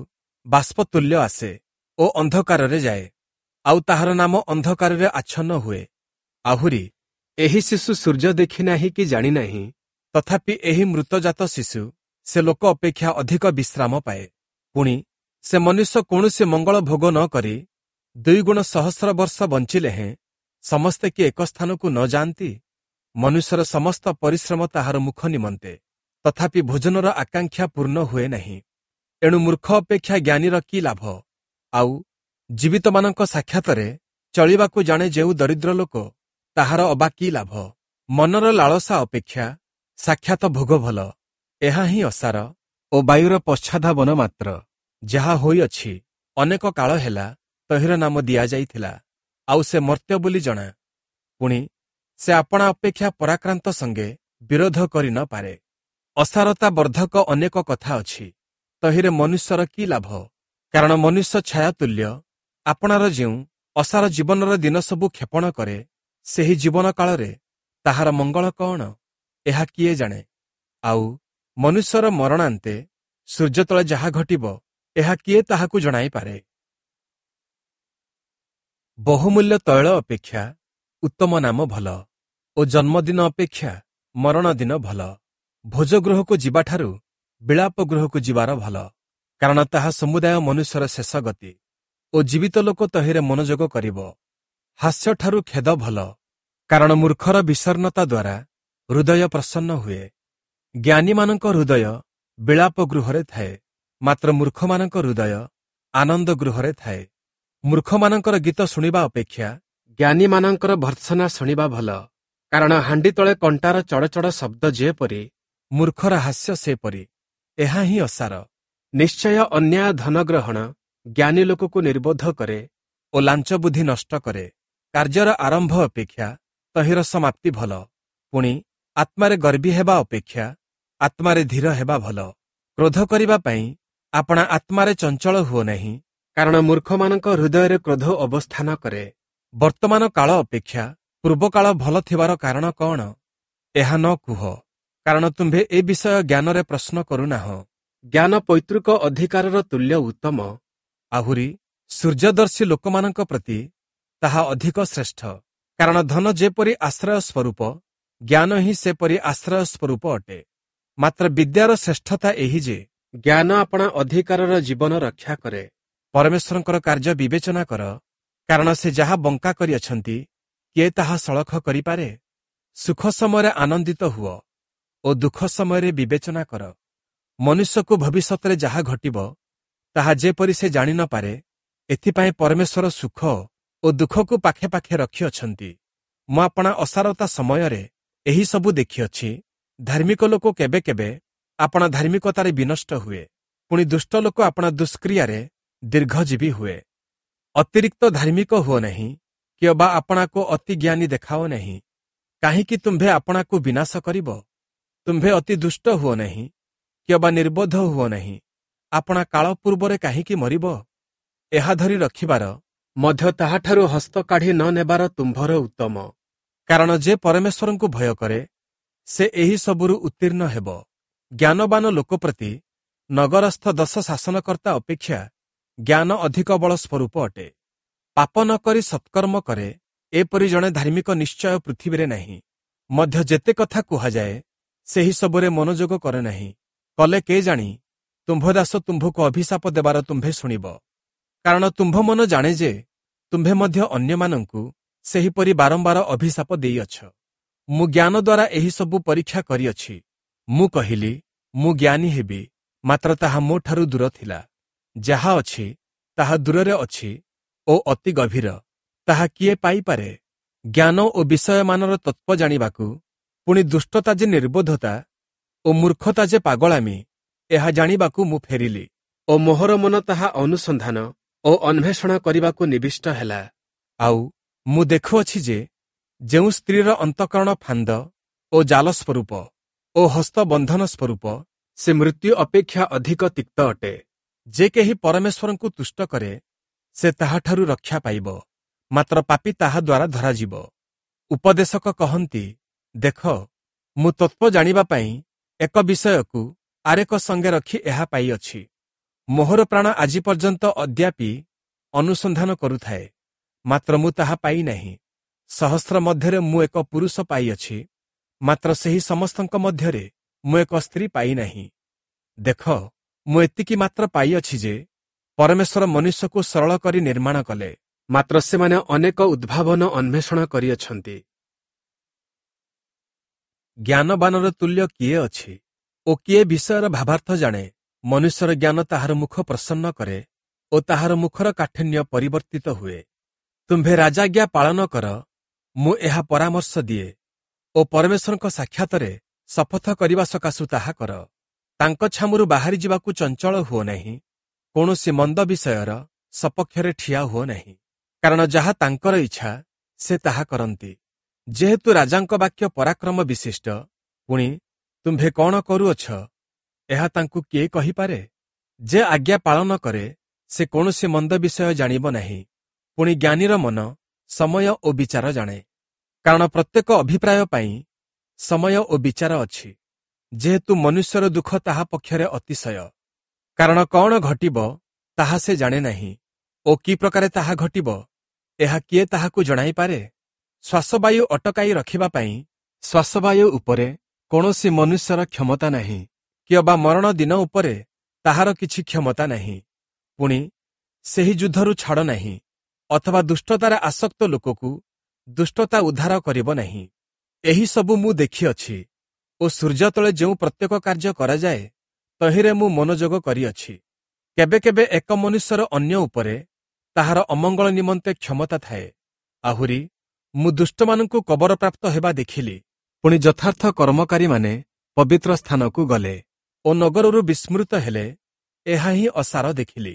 ବାଷ୍ପତୁଲ୍ୟ ଆସେ ଓ ଅନ୍ଧକାରରେ ଯାଏ, ଆଉ ତାହାର ନାମ ଅନ୍ଧକାରରେ ଆଚ୍ଛନ୍ନ ହୁଏ। ଆହୁରି ଏହି ଶିଶୁ ସୂର୍ଯ୍ୟ ଦେଖିନାହିଁ କି ଜାଣିନାହିଁ, ତଥାପି ଏହି ମୃତଜାତ ଶିଶୁ ସେ ଲୋକ ଅପେକ୍ଷା ଅଧିକ ବିଶ୍ରାମ ପାଏ। ପୁଣି ସେ ମନୁଷ୍ୟ କୌଣସି ମଙ୍ଗଳ ଭୋଗ ନ କରି ଦୁଇଗୁଣ ସହସ୍ର ବର୍ଷ ବଞ୍ଚିଲେ ହେଁ ସମସ୍ତେ କି ଏକ ସ୍ଥାନକୁ ନ ଯାଆନ୍ତି? ମନୁଷ୍ୟର ସମସ୍ତ ପରିଶ୍ରମ ତାହାର ମୁଖ ନିମନ୍ତେ, ତଥାପି ଭୋଜନର ଆକାଂକ୍ଷା ପୂର୍ଣ୍ଣ ହୁଏ ନାହିଁ। ଏଣୁ ମୂର୍ଖ ଅପେକ୍ଷା ଜ୍ଞାନୀର କି ଲାଭ? ଆଉ ଜୀବିତମାନଙ୍କ ସାକ୍ଷାତରେ ଚଳିବାକୁ ଜାଣେ ଯେଉଁ ଦରିଦ୍ର ଲୋକ, ତାହାର ଅବା କି ଲାଭ? ମନର ଲାଳସା ଅପେକ୍ଷା ସାକ୍ଷାତ ଭୋଗ ଭଲ। ଏହା ହିଁ ଅସାର ଓ ବାୟୁର ପଶ୍ଚାଧାବନ ମାତ୍ର। ଯାହା ହୋଇଅଛି ଅନେକ କାଳ ହେଲା ତହିଁର ନାମ ଦିଆଯାଇଥିଲା, ଆଉ ସେ ମର୍ତ୍ତ୍ୟ ବୋଲି ଜଣା। ପୁଣି ସେ ଆପଣା ଅପେକ୍ଷା ପରାକ୍ରାନ୍ତ ସଙ୍ଗେ ବିରୋଧ କରି ନ ପାରେ। ଅସାରତା ବର୍ଦ୍ଧକ ଅନେକ କଥା ଅଛି, ତହିଁରେ ମନୁଷ୍ୟର କି ଲାଭ? କାରଣ ମନୁଷ୍ୟ ଛାୟା ତୁଲ୍ୟ, ଆପଣାର ଯେଉଁ ଅସାର ଜୀବନର ଦିନ ସବୁ କ୍ଷେପଣ କରେ, ସେହି ଜୀବନ କାଳରେ ତାହାର ମଙ୍ଗଳ କଅଣ, ଏହା କିଏ ଜାଣେ? ଆଉ ମନୁଷ୍ୟର ମରଣାନ୍ତେ ସୂର୍ଯ୍ୟ ତଳେ ଯାହା ଘଟିବ, ଏହା କିଏ ତାହାକୁ ଜଣାଇପାରେ? ବହୁମୂଲ୍ୟ ତୈଳ ଅପେକ୍ଷା ଉତ୍ତମ ନାମ ଭଲ ଓ ଜନ୍ମଦିନ ଅପେକ୍ଷା ମରଣ ଦିନ ଭଲ। ଭୋଜଗୃହକୁ ଯିବାଠାରୁ ବିଳାପ ଗୃହକୁ ଯିବାର ଭଲ, କାରଣ ତାହା ସମୁଦାୟ ମନୁଷ୍ୟର ଶେଷ ଗତି ଓ ଜୀବିତ ଲୋକ ତହିଁରେ ମନୋଯୋଗ କରିବ। ହାସ୍ୟଠାରୁ ଖେଦ ଭଲ, କାରଣ ମୂର୍ଖର ବିଷର୍ଣ୍ଣତା ଦ୍ୱାରା ହୃଦୟ ପ୍ରସନ୍ନ ହୁଏ। ଜ୍ଞାନୀମାନଙ୍କ ହୃଦୟ ବିଳାପ ଗୃହରେ ଥାଏ, ମାତ୍ର ମୂର୍ଖମାନଙ୍କ ହୃଦୟ ଆନନ୍ଦ ଗୃହରେ ଥାଏ। ମୂର୍ଖମାନଙ୍କର ଗୀତ ଶୁଣିବା ଅପେକ୍ଷା ଜ୍ଞାନୀମାନଙ୍କର ଭର୍ତ୍ସନା ଶୁଣିବା ଭଲ, କାରଣ ହାଣ୍ଡି ତଳେ କଣ୍ଟାର ଚଡ଼ଚଡ଼ ଶବ୍ଦ ଯେପରି, ମୂର୍ଖର ହାସ୍ୟ ସେପରି। ଏହା ହିଁ ଅସାର। ନିଶ୍ଚୟ ଅନ୍ୟାୟ ଧନ ଗ୍ରହଣ ଜ୍ଞାନୀ ଲୋକକୁ ନିର୍ବୋଧ କରେ ଓ ଲାଞ୍ଚ ବୁଦ୍ଧି ନଷ୍ଟ କରେ। କାର୍ଯ୍ୟର ଆରମ୍ଭ ଅପେକ୍ଷା ତହିଁର ସମାପ୍ତି ଭଲ। ପୁଣି ଆତ୍ମାରେ ଗର୍ବୀ ହେବା ଅପେକ୍ଷା ଆତ୍ମାରେ ଧୀର ହେବା ଭଲ। କ୍ରୋଧ କରିବା ପାଇଁ ଆପଣା ଆତ୍ମାରେ ଚଞ୍ଚଳ ହୁଅ ନାହିଁ, କାରଣ ମୂର୍ଖମାନଙ୍କ ହୃଦୟରେ କ୍ରୋଧ ଅବସ୍ଥାନ କରେ। ବର୍ତ୍ତମାନ କାଳ ଅପେକ୍ଷା ପୂର୍ବକାଳ ଭଲ ଥିବାର କାରଣ କଅଣ? ଏହା ନ କୁହ, କାରଣ ତୁମ୍ଭେ ଏ ବିଷୟ ଜ୍ଞାନରେ ପ୍ରଶ୍ନ କରୁନାହଁ। ଜ୍ଞାନ ପୈତୃକ ଅଧିକାରର ତୁଲ୍ୟ ଉତ୍ତମ, ଆହୁରି ସୂର୍ଯ୍ୟଦର୍ଶୀ ଲୋକମାନଙ୍କ ପ୍ରତି ତାହା ଅଧିକ ଶ୍ରେଷ୍ଠ। କାରଣ ଧନ ଯେପରି ଆଶ୍ରୟ ସ୍ୱରୂପ, ଜ୍ଞାନ ହିଁ ସେପରି ଆଶ୍ରୟ ସ୍ୱରୂପ ଅଟେ। ମାତ୍ର ବିଦ୍ୟାର ଶ୍ରେଷ୍ଠତା ଏହି ଯେ ଜ୍ଞାନ ଆପଣା ଅଧିକାରର ଜୀବନ ରକ୍ଷା କରେ। ପରମେଶ୍ୱରଙ୍କର କାର୍ଯ୍ୟ ବିବେଚନା କର, କାରଣ ସେ ଯାହା ବଙ୍କା କରିଅଛନ୍ତି, କିଏ ତାହା ସଳଖ କରିପାରେ? ସୁଖ ସମୟରେ ଆନନ୍ଦିତ ହୁଅ ଓ ଦୁଃଖ ସମୟରେ ବିବେଚନା କର। ମନୁଷ୍ୟକୁ ଭବିଷ୍ୟତରେ ଯାହା ଘଟିବ, ତାହା ଯେପରି ସେ ଜାଣି ନ ପାରେ, ଏଥିପାଇଁ ପରମେଶ୍ୱର ସୁଖ ଓ ଦୁଃଖକୁ ପାଖେ ପାଖେ ରଖିଅଛନ୍ତି। ମୁଁ ଆପଣା ଅସାରତା ସମୟରେ ଏହି ସବୁ ଦେଖିଅଛି। ଧାର୍ମିକ ଲୋକ କେବେ କେବେ ଆପଣା ଧାର୍ମିକତାରେ ବିନଷ୍ଟ ହୁଏ, ପୁଣି ଦୁଷ୍ଟ ଲୋକ ଆପଣା ଦୁଷ୍କ୍ରିୟାରେ ଦୀର୍ଘଜୀବୀ ହୁଏ। ଅତିରିକ୍ତ ଧାର୍ମିକ ହୁଅ ନାହିଁ, କିଅବା ଆପଣାକୁ ଅତି ଜ୍ଞାନୀ ଦେଖାଅ ନାହିଁ। କାହିଁକି ତୁମ୍ଭେ ଆପଣାକୁ ବିନାଶ କରିବ? ତୁମ୍ଭେ ଅତି ଦୁଷ୍ଟ ହୁଅ ନାହିଁ, କିଅବା ନିର୍ବୋଧ ହୁଅ ନାହିଁ। ଆପଣା କାଳ ପୂର୍ବରେ କାହିଁକି ମରିବ? ଏହା ଧରି ରଖିବାର ମଧ୍ୟ ତାହାଠାରୁ ହସ୍ତ କାଢ଼ି ନ ନେବାର ତୁମ୍ଭର ଉତ୍ତମ। କାରଣ ଯେ ପରମେଶ୍ୱରଙ୍କୁ ଭୟ କରେ, ସେ ଏହି ସବୁରୁ ଉତ୍ତୀର୍ଣ୍ଣ ହେବ। ଜ୍ଞାନବାନ ଲୋକ ପ୍ରତି ନଗରସ୍ଥ ଦଶ ଶାସନକର୍ତ୍ତା ଅପେକ୍ଷା ଜ୍ଞାନ ଅଧିକ ବଳ ସ୍ୱରୂପ ଅଟେ। ପାପ ନ କରି ସତ୍କର୍ମ କରେ, ଏପରି ଜଣେ ଧାର୍ମିକ ନିଶ୍ଚୟ ପୃଥିବୀରେ ନାହିଁ। ମଧ୍ୟ ଯେତେ କଥା କୁହାଯାଏ, ସେହି ସବୁରେ ମନୋଯୋଗ କରେ ନାହିଁ। କଲେ କେ ଜାଣି ତୁମ୍ଭ ଦାସ ତୁମ୍ଭକୁ ଅଭିଶାପ ଦେବାର ତୁମ୍ଭେ ଶୁଣିବ। କାରଣ ତୁମ୍ଭ ମନ ଜାଣେ ଯେ ତୁମ୍ଭେ ମଧ୍ୟ ଅନ୍ୟମାନଙ୍କୁ ସେହିପରି ବାରମ୍ବାର ଅଭିଶାପ ଦେଇଅଛ। ମୁଁ ଜ୍ଞାନ ଦ୍ୱାରା ଏହି ସବୁ ପରୀକ୍ଷା କରିଅଛି। ମୁଁ କହିଲି, ମୁଁ ଜ୍ଞାନୀ ହେବି, ମାତ୍ର ତାହା ମୋଠାରୁ ଦୂର ଥିଲା। ଯାହା ଅଛି ତାହା ଦୂରରେ ଅଛି ଓ ଅତି ଗଭୀର, ତାହା କିଏ ପାଇପାରେ? ଜ୍ଞାନ ଓ ବିଷୟମାନର ତତ୍ତ୍ୱ ଜାଣିବାକୁ, ପୁଣି ଦୁଷ୍ଟତା ଯେ ନିର୍ବୋଧତା ଓ ମୂର୍ଖତା ଯେ ପାଗଳାମି, ଏହା ଜାଣିବାକୁ ମୁଁ ଫେରିଲି ଓ ମୋହର ମନ ତାହା ଅନୁସନ୍ଧାନ ଓ ଅନ୍ୱେଷଣ କରିବାକୁ ନିବିଷ୍ଟ ହେଲା। ଆଉ ମୁଁ ଦେଖୁଅଛି ଯେ ଯେଉଁ ସ୍ତ୍ରୀର ଅନ୍ତଃକରଣ ଫାନ୍ଦ ଓ ଜାଲ ସ୍ୱରୂପ ଓ ହସ୍ତବନ୍ଧନ ସ୍ୱରୂପ, ସେ ମୃତ୍ୟୁ ଅପେକ୍ଷା ଅଧିକ ତିକ୍ତ ଅଟେ। ଯେ କେହି ପରମେଶ୍ୱରଙ୍କୁ ତୁଷ୍ଟ କରେ, ସେ ତାହାଠାରୁ ରକ୍ଷା ପାଇବ, ମାତ୍ର ପାପୀ ତାହା ଦ୍ୱାରା ଧରାଯିବ। ଉପଦେଶକ କହନ୍ତି, ଦେଖ, ମୁଁ ତତ୍ତ୍ୱ ଜାଣିବା ପାଇଁ ଏକ ବିଷୟକୁ ଆରେକ ସଙ୍ଗେ ରଖି ଏହା ପାଇଅଛି। ମୋହର ପ୍ରାଣ ଆଜି ପର୍ଯ୍ୟନ୍ତ ଅଦ୍ୟାପି ଅନୁସନ୍ଧାନ କରୁଥାଏ, ମାତ୍ର ମୁଁ ତାହା ପାଇନାହିଁ। ସହସ୍ର ମଧ୍ୟରେ ମୁଁ ଏକ ପୁରୁଷ ପାଇଅଛି, ମାତ୍ର ସେହି ସମସ୍ତଙ୍କ ମଧ୍ୟରେ ମୁଁ ଏକ ସ୍ତ୍ରୀ ପାଇନାହିଁ। ଦେଖ, ମୁଁ ଏତିକି ମାତ୍ର ପାଇଅଛି ଯେ ପରମେଶ୍ୱର ମନୁଷ୍ୟକୁ ସରଳ କରି ନିର୍ମାଣ କଲେ, ମାତ୍ର ସେମାନେ ଅନେକ ଉଦ୍ଭାବନ ଅନ୍ୱେଷଣ କରିଅଛନ୍ତି। ଜ୍ଞାନବାନର ତୁଲ୍ୟ କିଏ ଅଛି ଓ କିଏ ବିଷୟର ଭାବାର୍ଥ ଜାଣେ? ମନୁଷ୍ୟର ଜ୍ଞାନ ତାହାର ମୁଖ ପ୍ରସନ୍ନ କରେ ଓ ତାହାର ମୁଖର କାଠିନ୍ୟ ପରିବର୍ତ୍ତିତ ହୁଏ। ତୁମ୍ଭେ ରାଜାଜ୍ଞା ପାଳନ କର, ମୁଁ ଏହା ପରାମର୍ଶ ଦିଏ ଓ ପରମେଶ୍ୱରଙ୍କ ସାକ୍ଷାତରେ ଶପଥ କରିବା ସକାଶୁ ତାହା କର। ତାଙ୍କ ଛାମୁରୁ ବାହାରି ଯିବାକୁ ଚଞ୍ଚଳ ହୁଅ ନାହିଁ, କୌଣସି ମନ୍ଦ ବିଷୟର ସପକ୍ଷରେ ଠିଆ ହୁଅ ନାହିଁ, କାରଣ ଯାହା ତାଙ୍କର ଇଚ୍ଛା ସେ ତାହା କରନ୍ତି। ଯେହେତୁ ରାଜାଙ୍କ ବାକ୍ୟ ପରାକ୍ରମ ବିଶିଷ୍ଟ, ପୁଣି ତୁମ୍ଭେ କ'ଣ କରୁଅଛ ଏହା ତାଙ୍କୁ କିଏ କହିପାରେ? ଯେ ଆଜ୍ଞା ପାଳନ କରେ ସେ କୌଣସି ମନ୍ଦ ବିଷୟ ଜାଣିବ ନାହିଁ। ପୁଣି ଜ୍ଞାନୀର ମନ ସମୟ ଓ ବିଚାର ଜାଣେ, କାରଣ ପ୍ରତ୍ୟେକ ଅଭିପ୍ରାୟ ପାଇଁ ସମୟ ଓ ବିଚାର ଅଛି। ଯେହେତୁ ମନୁଷ୍ୟର ଦୁଃଖ ତାହା ପକ୍ଷରେ ଅତିଶୟ, କାରଣ କ'ଣ ଘଟିବ ତାହା ସେ ଜାଣେ ନାହିଁ ଓ କି ପ୍ରକାରେ ତାହା ଘଟିବ ଏହା କିଏ ତାହାକୁ ଜଣାଇପାରେ? ଶ୍ୱାସବାୟୁ ଅଟକାଇ ରଖିବା ପାଇଁ ଶ୍ୱାସବାୟୁ ଉପରେ କୌଣସି ମନୁଷ୍ୟର କ୍ଷମତା ନାହିଁ, କିଅବା ମରଣ ଦିନ ଉପରେ ତାହାର କିଛି କ୍ଷମତା ନାହିଁ। ପୁଣି ସେହି ଯୁଦ୍ଧରୁ ଛାଡ଼ ନାହିଁ, ଅଥବା ଦୁଷ୍ଟତାରେ ଆସକ୍ତ ଲୋକକୁ ଦୁଷ୍ଟତା ଉଦ୍ଧାର କରିବ ନାହିଁ। ଏହି ସବୁ ମୁଁ ଦେଖିଅଛି ଓ ସୂର୍ଯ୍ୟ ତଳେ ଯେଉଁ ପ୍ରତ୍ୟେକ କାର୍ଯ୍ୟ କରାଯାଏ ତହିଁରେ ମୁଁ ମନୋଯୋଗ କରିଅଛି। କେବେ କେବେ ଏକ ମନୁଷ୍ୟର ଅନ୍ୟ ଉପରେ ତାହାର ଅମଙ୍ଗଳ ନିମନ୍ତେ କ୍ଷମତା ଥାଏ। ଆହୁରି ମୁଁ ଦୁଷ୍ଟମାନଙ୍କୁ କବରପ୍ରାପ୍ତ ହେବା ଦେଖିଲି। ପୁଣି ଯଥାର୍ଥ କର୍ମକାରୀମାନେ ପବିତ୍ର ସ୍ଥାନକୁ ଗଲେ ଓ ନଗରରୁ ବିସ୍ମୃତ ହେଲେ, ଏହା ହିଁ ଅସାର ଦେଖିଲି।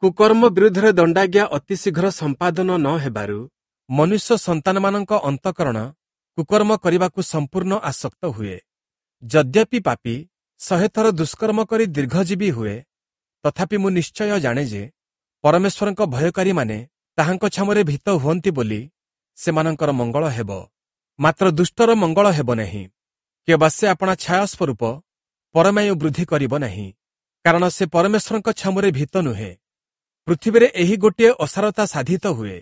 କୁକର୍ମ ବିରୁଦ୍ଧରେ ଦଣ୍ଡାଜ୍ଞା ଅତିଶୀଘ୍ର ସମ୍ପାଦନ ନ ହେବାରୁ ମନୁଷ୍ୟ ସନ୍ତାନମାନଙ୍କ ଅନ୍ତଃକରଣ କୁକର୍ମ କରିବାକୁ ସମ୍ପୂର୍ଣ୍ଣ ଆସକ୍ତ ହୁଏ। ଯଦ୍ୟପି ପାପୀ ଶହେଥର ଦୁଷ୍କର୍ମ କରି ଦୀର୍ଘଜୀବୀ ହୁଏ, ତଥାପି ମୁଁ ନିଶ୍ଚୟ ଜାଣେ ଯେ ପରମେଶ୍ୱରଙ୍କ ଭୟକାରୀମାନେ ତାହାଙ୍କ ଛାମୁରେ ଭୀତ ହୁଅନ୍ତି ବୋଲି ସେମାନଙ୍କର ମଙ୍ଗଳ ହେବ, ମାତ୍ର ଦୁଷ୍ଟର ମଙ୍ଗଳ ହେବ ନାହିଁ, କିମ୍ବା ସେ ଆପଣା ଛାୟା ସ୍ୱରୂପ ପରମାୟୁ ବୃଦ୍ଧି କରିବ ନାହିଁ, କାରଣ ସେ ପରମେଶ୍ୱରଙ୍କ ଛାମୁରେ ଭୀତ ନୁହେଁ। ପୃଥିବୀରେ ଏହି ଗୋଟିଏ ଅସାରତା ସାଧିତ ହୁଏ।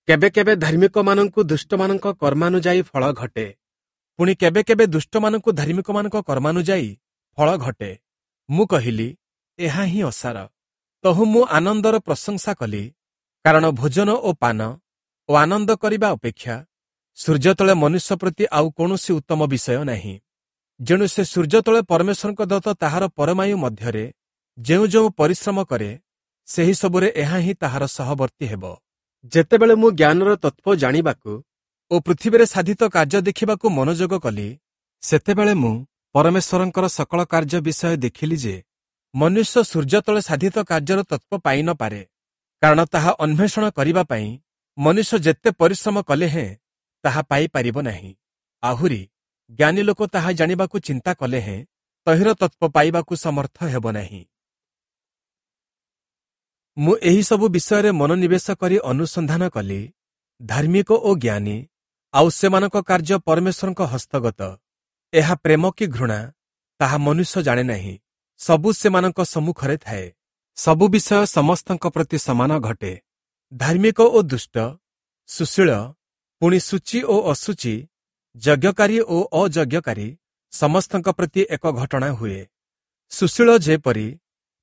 କେବେ କେବେ ଧାର୍ମିକମାନଙ୍କୁ ଦୁଷ୍ଟମାନଙ୍କ କର୍ମାନୁଯାୟୀ ଫଳ ଘଟେ, ପୁଣି କେବେ କେବେ ଦୁଷ୍ଟମାନଙ୍କୁ ଧାର୍ମିକମାନଙ୍କ କର୍ମାନୁଯାୟୀ ଫଳ ଘଟେ। ମୁଁ କହିଲି, ଏହା ହିଁ ଅସାର। ତହୁ ମୁଁ ଆନନ୍ଦର ପ୍ରଶଂସା କଲି, କାରଣ ଭୋଜନ ଓ ପାନ ଓ ଆନନ୍ଦ କରିବା ଅପେକ୍ଷା ସୂର୍ଯ୍ୟ ତଳେ ମନୁଷ୍ୟ ପ୍ରତି ଆଉ କୌଣସି ଉତ୍ତମ ବିଷୟ ନାହିଁ। ଯେଣୁ ସେ ସୂର୍ଯ୍ୟ ତଳେ ପରମେଶ୍ୱରଙ୍କ ଦତ୍ତ ତାହାର ପରମାୟୁ ମଧ୍ୟରେ ଯେଉଁ ଯେଉଁ ପରିଶ୍ରମ କରେ, ସେହି ସବୁରେ ଏହା ହିଁ ତାହାର ସହବର୍ତ୍ତୀ ହେବ। ଯେତେବେଳେ ମୁଁ ଜ୍ଞାନର ତତ୍ତ୍ୱ ଜାଣିବାକୁ ଓ ପୃଥିବୀରେ ସାଧିତ କାର୍ଯ୍ୟ ଦେଖିବାକୁ ମନୋଯୋଗ କଲି, ସେତେବେଳେ ମୁଁ ପରମେଶ୍ୱରଙ୍କର ସକଳ କାର୍ଯ୍ୟ ବିଷୟ ଦେଖିଲି ଯେ ମନୁଷ୍ୟ ସୂର୍ଯ୍ୟ ତଳେ ସାଧିତ କାର୍ଯ୍ୟର ତତ୍ତ୍ୱ ପାଇ ନ ପାରେ, କାରଣ ତାହା ଅନ୍ୱେଷଣ କରିବା ପାଇଁ ମନୁଷ୍ୟ ଯେତେ ପରିଶ୍ରମ କଲେ ହେଁ ତାହା ପାଇପାରିବ ନାହିଁ। ଆହୁରି ଜ୍ଞାନୀ ଲୋକ ତାହା ଜାଣିବାକୁ ଚିନ୍ତା କଲେ ହେଁ ତହିଁର ତତ୍ତ୍ୱ ପାଇବାକୁ ସମର୍ଥ ହେବ ନାହିଁ। ମୁଁ ଏହିସବୁ ବିଷୟରେ ମନୋନିବେଶ କରି ଅନୁସନ୍ଧାନ କଲି। ଧାର୍ମିକ ଓ ଜ୍ଞାନୀ ଆଉ ସେମାନଙ୍କ କାର୍ଯ୍ୟ ପରମେଶ୍ୱରଙ୍କ ହସ୍ତଗତ। ଏହା ପ୍ରେମ କି ଘୃଣା ତାହା ମନୁଷ୍ୟ ଜାଣେ ନାହିଁ, ସବୁ ସେମାନଙ୍କ ସମ୍ମୁଖରେ ଥାଏ। ସବୁ ବିଷୟ ସମସ୍ତଙ୍କ ପ୍ରତି ସମାନ ଘଟେ। ଧାର୍ମିକ ଓ ଦୁଷ୍ଟ, ସୁଶୀଳ, ପୁଣି ଶୁଚି ଓ ଅଶୁଚି, ଯଜ୍ଞକାରୀ ଓ ଅଯଜ୍ଞକାରୀ ସମସ୍ତଙ୍କ ପ୍ରତି ଏକ ଘଟଣା ହୁଏ। ସୁଶୀଳ ଯେପରି,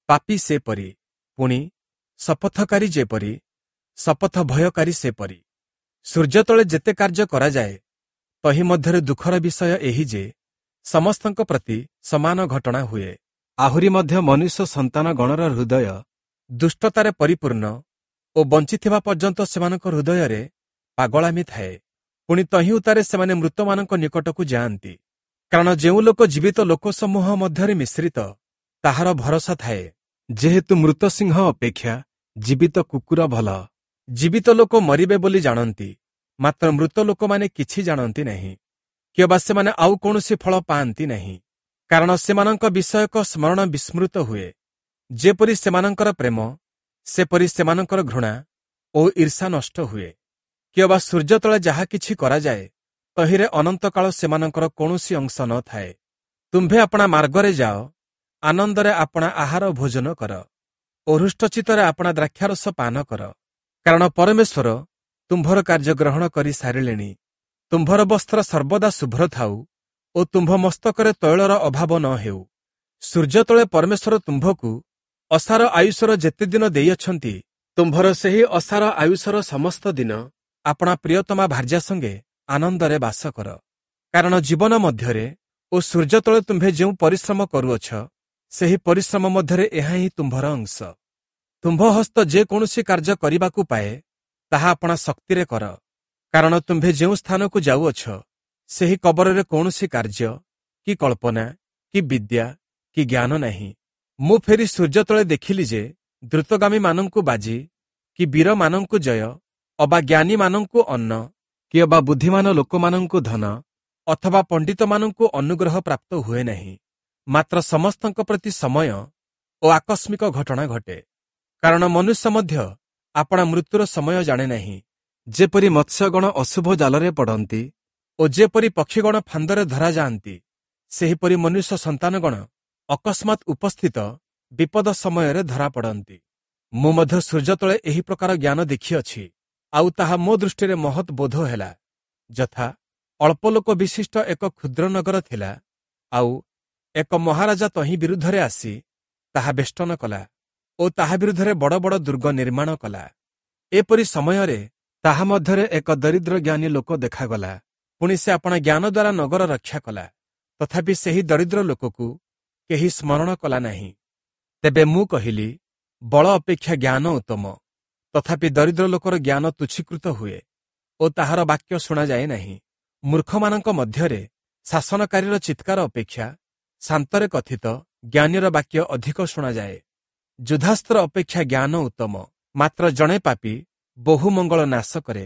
ପାପୀ ସେପରି, ପୁଣି ଶପଥକାରୀ ଯେପରି, ଶପଥ ଭୟକାରୀ ସେପରି। ସୂର୍ଯ୍ୟ ତଳେ ଯେତେ କାର୍ଯ୍ୟ କରାଯାଏ ତହିଁ ମଧ୍ୟରେ ଦୁଃଖର ବିଷୟ ଏହି ଯେ ସମସ୍ତଙ୍କ ପ୍ରତି ସମାନ ଘଟଣା ହୁଏ। ଆହୁରି ମଧ୍ୟ ମନୁଷ୍ୟ ସନ୍ତାନ ଗଣର ହୃଦୟ ଦୁଷ୍ଟତାରେ ପରିପୂର୍ଣ୍ଣ ଓ ବଞ୍ଚିଥିବା ପର୍ଯ୍ୟନ୍ତ ସେମାନଙ୍କ ହୃଦୟରେ ପାଗଳାମି ଥାଏ। ପୁଣି ତହିଁ ଉତ୍ତାରେ ସେମାନେ ମୃତମାନଙ୍କ ନିକଟକୁ ଯାଆନ୍ତି, କାରଣ ଯେଉଁ ଲୋକ ଜୀବିତ ଲୋକସମୂହ ମଧ୍ୟରେ ମିଶ୍ରିତ ତାହାର ଭରସା ଥାଏ। ଯେହେତୁ ମୃତ ସିଂହ ଅପେକ୍ଷା ଜୀବିତ କୁକୁର ଭଲ। ଜୀବିତ ଲୋକ ମରିବେ ବୋଲି ଜାଣନ୍ତି, ମାତ୍ର ମୃତ ଲୋକମାନେ କିଛି ଜାଣନ୍ତି ନାହିଁ, କିମ୍ବା ସେମାନେ ଆଉ କୌଣସି ଫଳ ପାଆନ୍ତି ନାହିଁ, କାରଣ ସେମାନଙ୍କ ବିଷୟକ ସ୍ମରଣ ବିସ୍ମୃତ ହୁଏ। ଯେପରି ସେମାନଙ୍କର ପ୍ରେମ, ସେପରି ସେମାନଙ୍କର ଘୃଣା ଓ ଈର୍ଷା ନଷ୍ଟ ହୁଏ। କିମ୍ବା ସୂର୍ଯ୍ୟ ତଳେ ଯାହା କିଛି କରାଯାଏ ତହିଁରେ ଅନନ୍ତକାଳ ସେମାନଙ୍କର କୌଣସି ଅଂଶ ନ ଥାଏ। ତୁମ୍ଭେ ଆପଣା ମାର୍ଗରେ ଯାଅ, ଆନନ୍ଦରେ ଆପଣା ଆହାର ଭୋଜନ କର ଓ ହୃଷ୍ଟଚିତ୍ତରେ ଆପଣା ଦ୍ରାକ୍ଷାରସ ପାନ କର, କାରଣ ପରମେଶ୍ୱର ତୁମ୍ଭର କାର୍ଯ୍ୟ ଗ୍ରହଣ କରି ସାରିଲେଣି। ତୁମ୍ଭର ବସ୍ତ୍ର ସର୍ବଦା ଶୁଭ୍ର ଥାଉ ଓ ତୁମ୍ଭ ମସ୍ତକରେ ତୈଳର ଅଭାବ ନ ହେଉ। ସୂର୍ଯ୍ୟ ତଳେ ପରମେଶ୍ୱର ତୁମ୍ଭକୁ ଅସାର ଆୟୁଷର ଯେତେ ଦିନ ଦେଇଅଛନ୍ତି, ତୁମ୍ଭର ସେହି ଅସାର ଆୟୁଷର ସମସ୍ତ ଦିନ ଆପଣା ପ୍ରିୟତମା ଭାର୍ଯ୍ୟା ସଙ୍ଗେ ଆନନ୍ଦରେ ବାସ କର, କାରଣ ଜୀବନ ମଧ୍ୟରେ ଓ ସୂର୍ଯ୍ୟ ତଳେ ତୁମ୍ଭେ ଯେଉଁ ପରିଶ୍ରମ କରୁଅଛ, ସେହି ପରିଶ୍ରମ ମଧ୍ୟରେ ଏହା ହିଁ ତୁମ୍ଭର ଅଂଶ। ତୁମ୍ଭ ହସ୍ତ ଯେକୌଣସି କାର୍ଯ୍ୟ କରିବାକୁ ପାଏ, ତାହା ଆପଣା ଶକ୍ତିରେ କର, କାରଣ ତୁମ୍ଭେ ଯେଉଁ ସ୍ଥାନକୁ ଯାଉଅଛ, ସେହି କବରରେ କୌଣସି କାର୍ଯ୍ୟ କି କଳ୍ପନା କି ବିଦ୍ୟା କି ଜ୍ଞାନ ନାହିଁ। ମୁଁ ଫେରି ସୂର୍ଯ୍ୟ ତଳେ ଦେଖିଲି ଯେ ଦ୍ରୁତଗାମୀମାନଙ୍କୁ ବାଜି କି ବୀରମାନଙ୍କୁ ଜୟ ଅବା ଜ୍ଞାନୀମାନଙ୍କୁ ଅନ୍ନ କି ଅବା ବୁଦ୍ଧିମାନ ଲୋକମାନଙ୍କୁ ଧନ ଅଥବା ପଣ୍ଡିତମାନଙ୍କୁ ଅନୁଗ୍ରହ ପ୍ରାପ୍ତ ହୁଏ ନାହିଁ, ମାତ୍ର ସମସ୍ତଙ୍କ ପ୍ରତି ସମୟ ଓ ଆକସ୍ମିକ ଘଟଣା ଘଟେ। କାରଣ ମନୁଷ୍ୟ ମଧ୍ୟ ଆପଣା ମୃତ୍ୟୁର ସମୟ ଜାଣେ ନାହିଁ। ଯେପରି ମତ୍ସ୍ୟଗଣ ଅଶୁଭ ଜାଲରେ ପଡ଼ନ୍ତି ଓ ଯେପରି ପକ୍ଷୀଗଣ ଫାନ୍ଦରେ ଧରାଯାଆନ୍ତି, ସେହିପରି ମନୁଷ୍ୟ ସନ୍ତାନଗଣ ଅକସ୍ମାତ୍ ଉପସ୍ଥିତ ବିପଦ ସମୟରେ ଧରା ପଡ଼ନ୍ତି। ମୁଁ ମଧ୍ୟ ସୂର୍ଯ୍ୟ ତଳେ ଏହି ପ୍ରକାର ଜ୍ଞାନ ଦେଖିଅଛି, ଆଉ ତାହା ମୋ ଦୃଷ୍ଟିରେ ମହତ୍ ବୋଧ ହେଲା। ଯଥା ଅଳ୍ପ ଲୋକ ବିଶିଷ୍ଟ ଏକ କ୍ଷୁଦ୍ର ନଗର ଥିଲା, ଆଉ ଏକ ମହାରାଜା ତହିଁ ବିରୁଦ୍ଧରେ ଆସି ତାହା ବେଷ୍ଟନ କଲା ଓ ତାହା ବିରୁଦ୍ଧରେ ବଡ଼ ବଡ଼ ଦୁର୍ଗ ନିର୍ମାଣ କଲା। ଏପରି ସମୟରେ ତାହା ମଧ୍ୟରେ ଏକ ଦରିଦ୍ର ଜ୍ଞାନୀ ଲୋକ ଦେଖାଗଲା, ପୁଣି ସେ ଆପଣା ଜ୍ଞାନ ଦ୍ୱାରା ନଗର ରକ୍ଷା କଲା। ତଥାପି ସେହି ଦରିଦ୍ର ଲୋକକୁ କେହି ସ୍ମରଣ କଲା ନାହିଁ। ତେବେ ମୁଁ କହିଲି, ବଳ ଅପେକ୍ଷା ଜ୍ଞାନ ଉତ୍ତମ, ତଥାପି ଦରିଦ୍ର ଲୋକର ଜ୍ଞାନ ତୁଚ୍ଛୀକୃତ ହୁଏ ଓ ତାହାର ବାକ୍ୟ ଶୁଣାଯାଏ ନାହିଁ। ମୂର୍ଖମାନଙ୍କ ମଧ୍ୟରେ ଶାସନକାରୀର ଚିତ୍କାର ଅପେକ୍ଷା ଶାନ୍ତରେ କଥିତ ଜ୍ଞାନୀର ବାକ୍ୟ ଅଧିକ ଶୁଣାଯାଏ। ଯୁଦ୍ଧାସ୍ତ୍ର ଅପେକ୍ଷା ଜ୍ଞାନ ଉତ୍ତମ, ମାତ୍ର ଜଣେ ପାପୀ ବହୁ ମଙ୍ଗଳ ନାଶ କରେ।